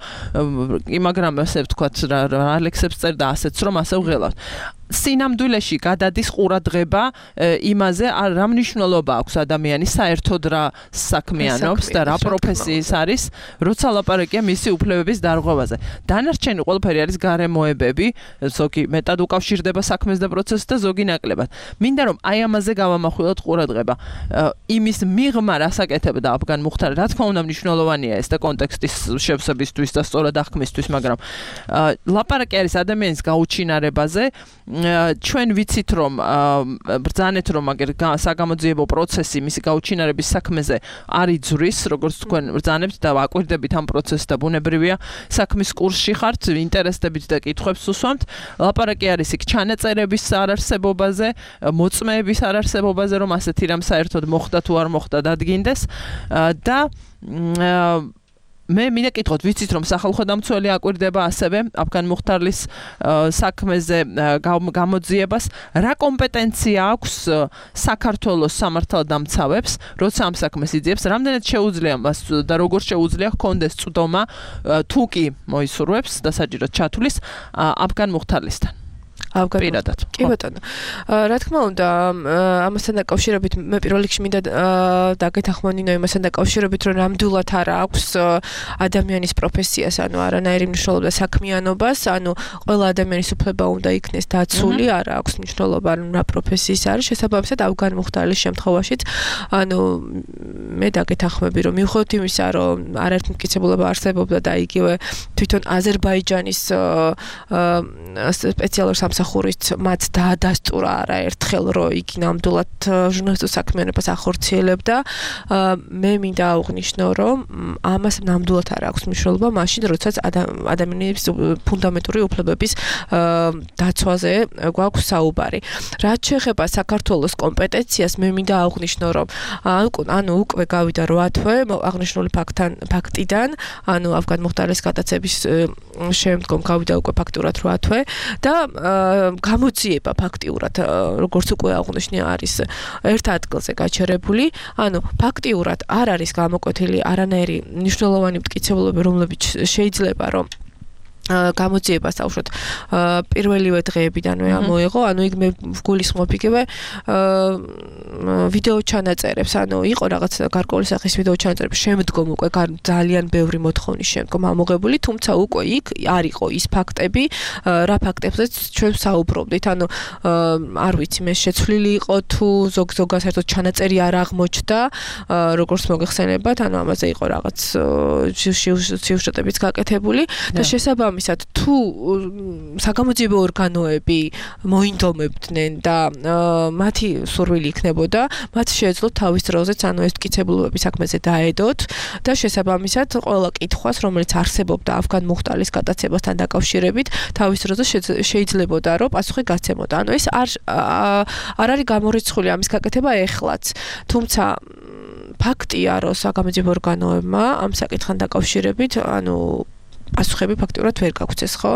კი მაგრამ ასე ვთქვათ რა ლექსებს წერ და ასეც რომ ასე ვღელავთ. სინამდვილეში გადადის ყურადღება იმაზე, რა მნიშვნელობა აქვს ადამიანის საერთოდ რა საქმიანობს და რა პროფესიის არის, როცა ლაპარაკია მისი უფლებების დარღვევაზე. დანარჩენი ყველაფერი არის გარემოებები, ზოგი მეტად უკავშირდება საქმეს და პროცესს და ზოგი ნაკლებად. მინდა რომ აი ამაზე გავამახვილოთ ყურადღება. იმის მიღმა რას აკეთებდა აფგან მუხთარი, რა თქმა უნდა მნიშვნელოვანია ეს და კონტექსტის შევსებისთვის და სწორად აღქმისთვის, მაგრამ ლაპარაკი არის ადამიანის გაუჩინარებაზე. ჩვენ ვიცით რომ ბრძანეთ რომ აგერ საგამოძიებო პროცესი მისი გაუჩინარების საქმეზე არ იძვრის, როგორც თქვენ ბრძანებთ და აკვირდებით ამ პროცესს და ბუნებრივია საქმის კურსში ხართ, ინტერესდებით და კითხვებს უსვამთ. ლაპარაკი არის იქ ჩანაწერების არარსებობაზე, მოწმეების არარსებობაზე, რომ ასეთი რამ საერთოდ მოხდა თუ არ მოხდა დადგინდეს და მე მინდა კითხოთ, ვიცით რომ სახალხო დამცველი აკვირდება ასევე აფგან მუხთარლის საქმეზე გამოძიებას, რა კომპეტენცია აქვს საქართველოს სამართალდამცავებს, როცა ამ საქმეს იძიებს, რამდენად შეუძლია მას და როგორ შეუძლია ჰქონდეს წვდომა თუ კი მოისურვებს დასაჭიროდ ჩათვლის აფგან მუხთარლისთან. ავგარდათ. კი ბატონო. რა თქმა უნდა, ამასთან დაკავშირებით მე პირველ რიგში მინდა დაგეთანხმონინო იმასთან დაკავშირებით, რომ ნამდვილად არა აქვს ადამიანის პროფესიას, ანუ არანაირი მნიშვნელობა საქმიანობას, ანუ ყველა ადამიანის უფლება უნდა იქნეს დაცული, არა აქვს მნიშვნელობა რა პროფესიის არის, შესაბამისად აფგან მუხთარლის შემთხვევაშიც, ანუ მე დაგეთანხმები, რომ მიუხედავად იმისა, რომ არაერთი მტკიცებულება არსებობდა და იგივე თვითონ აზერბაიჯანის სპეციალურ სამსახურში სამსახურით მათ დაადასტურა არაერთხელ, რომ იგი ნამდვილად ჟურნალისტურ საქმიანობას ახორციელებდა. მე მინდა აღვნიშნო, რომ ამას ნამდვილად არ აქვს მნიშვნელობა მაშინ, როდესაც ადამიანების ფუნდამენტური უფლებების დაცვაზე გვაქვს საუბარი. რაც შეეხება საქართველოს კომპეტენციას, მე მინდა აღვნიშნო, რომ ანუ უკვე გავიდა რვა თვე აღნიშნული ფაქტთან ფაქტიდან, ანუ ავგან მუხტარის გადაცემის შემდგომ გავიდა უკვე ფაქტურად რვა თვე და გამოძიება ფაქტიურად, როგორც უკვე აღვნიშნე, არის ერთ ადგილზე გაჩერებული, ანუ ფაქტიურად არ არის გამოკვეთილი არანაირი მნიშვნელოვანი მტკიცებულები, რომლებიც შეიძლება რომ გამოძიებას თავშოთ პირველივე დღეებიდანვე ამოიღო, ანუ იქ მე გულისხმობ იგივე ვიდეო ჩანაწერებს, ანუ იყო რაღაც გარკვეული სახის ვიდეო ჩანაწერები, შემდგომ უკვე ძალიან ბევრი მოთხოვნის შემდგომ ამოღებული, თუმცა უკვე იქ არ იყო ის ფაქტები, რა ფაქტებზეც ჩვენ საუბრობდით, ანუ არ ვიცი, მე შეცვლილი იყო თუ ზოგ-ზოგად საერთოდ ჩანაწერი არ აღმოჩნდა, როგორც მოგეხსენებათ, ანუ ამაზე იყო რაღაც სიუჟეტებიც გაკეთებული და შესაბამისად მისად თუ საგამოძიებო ორგანოები მოინდომებდნენ და მათი სურვილი იქნებოდა, მათ შეეძლოთ თავის დროზეც ანუ ეს მტკიცებულობები საქმეზე დაედოთ და შესაბამისად ყველა კითხვას, რომელიც არსებობდა ავგან მუხტარის გადაცემასთან დაკავშირებით, თავის დროზე შეიძლებოდა რომ პასუხი გაცემოდა. ანუ ეს არ არ არის გამორიცხული ამის გაკეთება ეხლაც. თუმცა ფაქტია, რომ საგამოძიებო ორგანოებმა ამ საკითხთან დაკავშირებით, ანუ პასუხები ფაქტიურად ვერ გაგვცეს, ხო?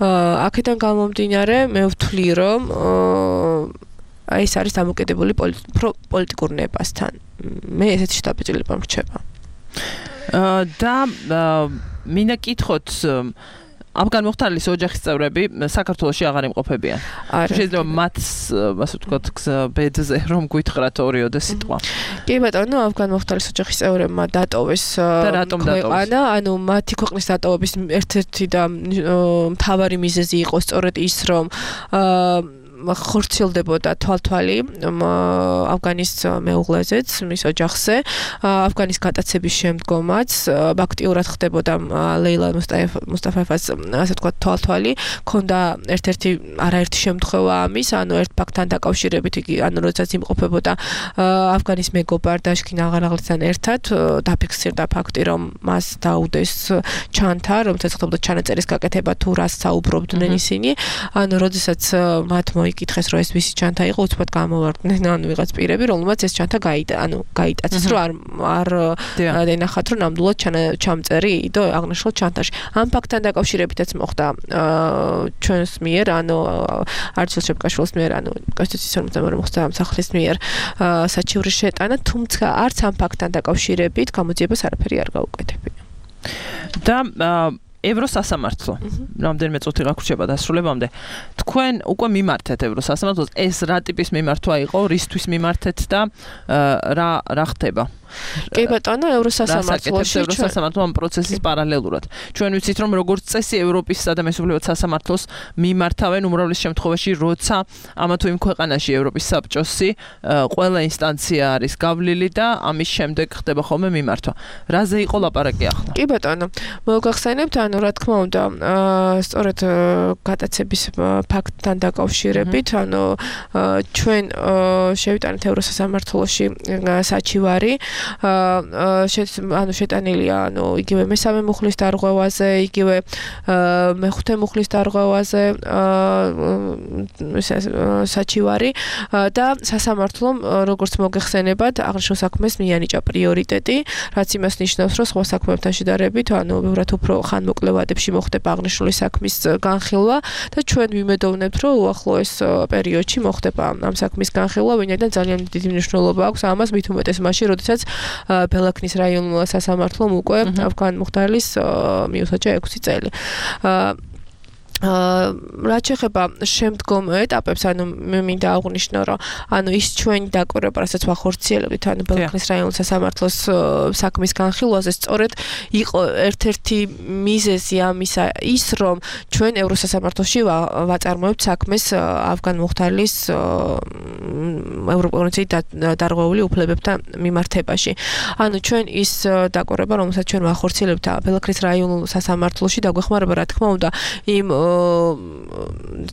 აქედან გამომდინარე, მე ვთვლი, რომ ეს არის დამოკიდებული პოლიტიკურ ნებასთან. მე ესეთი შთაბეჭდილება მრჩება. და მინდა კითხოთ ავგან მუხტარის ოჯახის წევრები საქართველოში აღარ იმყოფებიან. შეიძლება მათ, ასე ვთქვათ, ბედზე რომ გვითხრათ ორიოდე სიტყვა. კი ბატონო, ავგან მუხტარის ოჯახის წევრებმა დატოვეს ქვეყანა, ანუ მათი ქვეყნის დატოვების ერთ-ერთი და მთავარი მიზეზი იყო სწორედ ის, რომ ხორციელდებოდა თვალთვალი ავგანის მეუღლეზეც, მის ოჯახზე. ავგანის გადაცემის შემდგომაც ფაქტიურად ხდებოდა ლეილა მუსტაფაევას, ასე ვთქვათ, თვალთვალი. ქონდა ერთ-ერთი არაერთი შემთხვევა ამის, ანუ ერთ ფაქტთან დაკავშირებით იგი, ანუ როდესაც იმყოფებოდა ავგანის მეგობარ დაშკინ აღარაღლისთან ერთად, დაფიქსირდა ფაქტი, რომ მას დაუდეს ჩანთა, რომელსაც ხდებოდა ჩანაწერის გაკეთება თუ რას საუბრობდნენ ისინი. ანუ როდესაც მათ იკითხეს, რომ ეს ვისი ჩანთა იყო, უცბად გამოვარდნენ, ანუ ვიღაც პირები, რომელმაც ეს ჩანთა გაიტა, ანუ გაიტაცეს, რომ არ არ ენახათ, რომ ნამდვილად ჩამწერი იდო აღნიშნულ ჩანთაში. ამ ფაქტთან დაკავშირებითაც მოხდა ჩვენს მიერ, ანუ არჩილ შეპკაშვილის მიერ, ანუ კონსტიტუციის ორმოცდამეორე მოსამსახურის მიერ საჩივრის შეტანა, თუმცა არც ამ ფაქტთან დაკავშირებით გამოძიებას არაფერი არ გაუკეთებია. და ევროსასამართლო. რამდენიმე წუთი გაგვრჩება დასრულებამდე. თქვენ უკვე მიმართეთ ევროსასამართლოს, ეს რა ტიპის მიმართვა იყო, რისთვის მიმართეთ და რა რა ხდება? კი ბატონო, ევროსასამართლოში ევროსასამართლო ამ პროცესის პარალელურად. ჩვენ ვიცით, რომ როგორც წესი ევროპის ადამიანის უფლებათა სასამართლოს მიმართავენ უმრავლეს შემთხვევაში, როცა ამა თუ იმ ქვეყანაში ევროპის საბჭოსი ყველა ინსტანცია არის გავლილი და ამის შემდეგ ხდება ხოლმე მიმართვა. რაზე იყო ლაპარაკი ახლა? კი ბატონო, მოგახსენებთ, ანუ რა თქმა უნდა, სწორედ გადაცემის ფაქტთან დაკავშირებით, ანუ ჩვენ შევიტანეთ ევროსასამართლოში საჩივარი, ანუ შეტანილია, ანუ იგივე მესამე მუხლის დარღვევაზე, იგივე მეხუთე მუხლის დარღვევაზე საჩივარი და სასამართლომ, როგორც მოგეხსენებათ, აღნიშნულ საქმეს მიანიჭა პრიორიტეტი, რაც იმას ნიშნავს, რომ სხვა საქმეებთან შედარებით, ანუ ბევრად უფრო ხანმოკლევადებში მოხდება აღნიშნული საქმის განხილვა და ჩვენ ვიმედოვნებთ, რომ უახლოეს პერიოდში მოხდება ამ საქმის განხილვა, ვინაიდან ძალიან დიდი მნიშვნელობა აქვს ამას, მით უმეტეს მაშინ, როდესაც ბელაქნის რაიონულ სასამართლომ უკვე ავგან მუხტარის მიუსაჯა ექვსი წელი. რაც შეეხება შემდგომ ეტაპებს, ანუ მე მინდა აღვნიშნო, რომ ანუ ის ჩვენი დაკვირვება, რასაც ვახორციელებდით, ანუ ბელაქნის რაიონულ სასამართლოს საქმის განხილვაზე, სწორედ იყო ერთ-ერთი მიზეზი ამისა ის, რომ ჩვენ ევროსასამართლოში ვაწარმოებთ საქმეს ავგან მუხტარის ევროპული დარღვეული უფლებებთან მიმართებაში. ანუ ჩვენ ის დაკვირვება, რომელსაც ჩვენ ვახორციელებთ ბელაქნის რაიონულ სასამართლოში, დაგვეხმარება, რა თქმა უნდა, იმ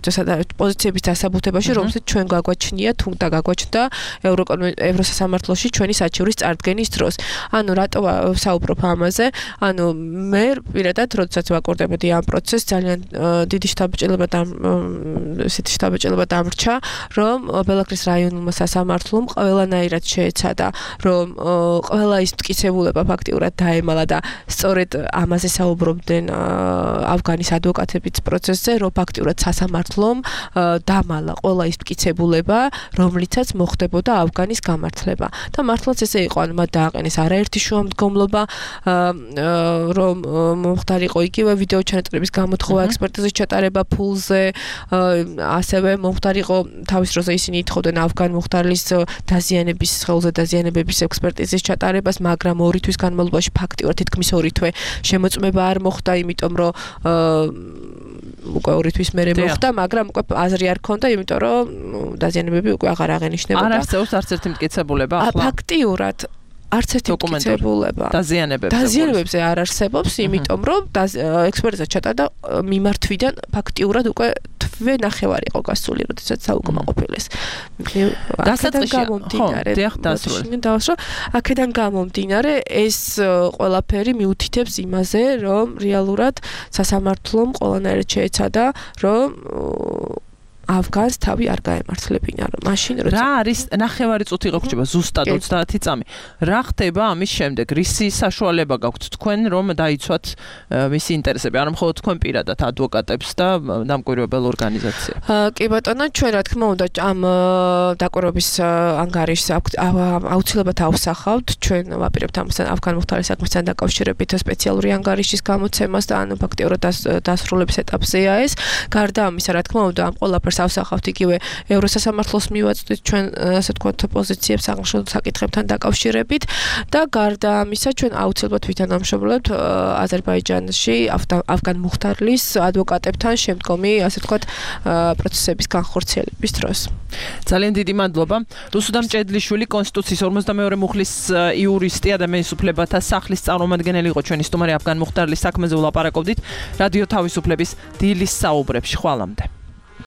პოზიციების დასაბუთებაში, რომელსაც ჩვენ გაგვაჩნია, თუნდა გაგვაჩნდა ევროსასამართლოში ჩვენი საჩივრის წარდგენის დროს. ანუ რატო საუბრობ ამაზე? ანუ მე პირადად როდესაც ვაკურდებოდი ამ პროცესს, ძალიან დიდი შთაბეჭდილება და ესეთი შთაბეჭდილება დამრჩა, რომ ბელაქრის რაიონულმა სასამართლომ ყველანაირად შეეცადა, რომ ყველა ის მტკიცებულება ფაქტიურად დაემალა და სწორედ ამაზე საუბრობდნენ ავგანის ადვოკატებიც პროცესზე, რომ ფაქტიურად სასამართლომ დამალა ყველა ის მტკიცებულება, რომლითაც მოხდებოდა ავგანის გამართლება. და მართლაც ესე იყო, ანუ მათ დააყენეს არაერთი შუამდგომლობა, რომ მომხდარიყო იგივე ვიდეო ჩანაწერების გამოთხოვა, ექსპერტიზის ჩატარება ფულზე, ასევე მომხდარიყო თავის დროზე ისინი ითხოვდნენ ავგან მომხდარის დაზიანების, სხეულზე დაზიანებების ექსპერტიზის ჩატარებას, მაგრამ ორი თვის განმავლობაში ფაქტიურად თითქმის ორი თვე შემოწმება არ მოხდა, იმიტომ რომ უკვე ორი თვის მერე მოხდა, მაგრამ უკვე აზრი არ ქონდა, იმიტომ რომ დაზიანებები უკვე აღარ აღენიშნებოდა. არ არსებობს არც ერთი მტკიცებულება ახლა. ფაქტიურად არც ერთი მტკიცებულება დაზიანებებზე დაზიანებებზე არ არსებობს, იმიტომ რომ ექსპერტიზა ჩატარდა მიმართვიდან ფაქტიურად უკვე თვე ნახევარი იყო გასული, როდესაც საუკმაყოფილეს. დასაწყისში გამომდინარე, აქედან გამომდინარე ეს ყველაფერი მიუთითებს იმაზე, რომ რეალურად სასამართლომ ყველანაირად შეეცადა, რომ ავგანს თავი არ გაემართლებინა, რომ მაშინ როცა რა არის ნახევარი წუთი გაგვრჩება ზუსტად ოცდაათი წამი. რა ხდება ამის შემდეგ? რისი საშუალება გაქვთ თქვენ, რომ დაიცვათ მისი ინტერესები, არა მხოლოდ თქვენ პირადად ადვოკატებს და დამკვირვებელ ორგანიზაციებს? კი ბატონო, ჩვენ რა თქმა უნდა ამ დაკვირვების ანგარიშს აუცილებლად ავსახავთ. ჩვენ ვაპირებთ ამასთან ავგან მომხდარის საქმესთან დაკავშირებით სპეციალური ანგარიშის გამოცემას და ანუ ფაქტიურად დასრულების ეტაპზეა ეს. გარდა ამისა, რა თქმა უნდა, ამ ყველაფერს ავსახავთ იგივე ევროსასამართლოს მივაწვდით ჩვენ ასე ვთქვათ პოზიციებს აღნიშნულ საკითხებთან დაკავშირებით და გარდა ამისა ჩვენ აუცილებლად ვითანამშრომლებთ აზერბაიჯანში ავგან მუხთარლის ადვოკატებთან შემდგომი ასე ვთქვათ პროცესების განხორციელების დროს. ძალიან დიდი მადლობა. რუსუდამ ჭედლიშვილი კონსტიტუციის ორმოცდამეორე მუხლის იურისტი, ადამიანის უფლებათა სახლის წარმომადგენელი იყო ჩვენი სტუმარი ავგან მუხთარლის საქმეზე ვლაპარაკობდით რადიო თავისუფლების დილის საუბრებში. ხვალამდე.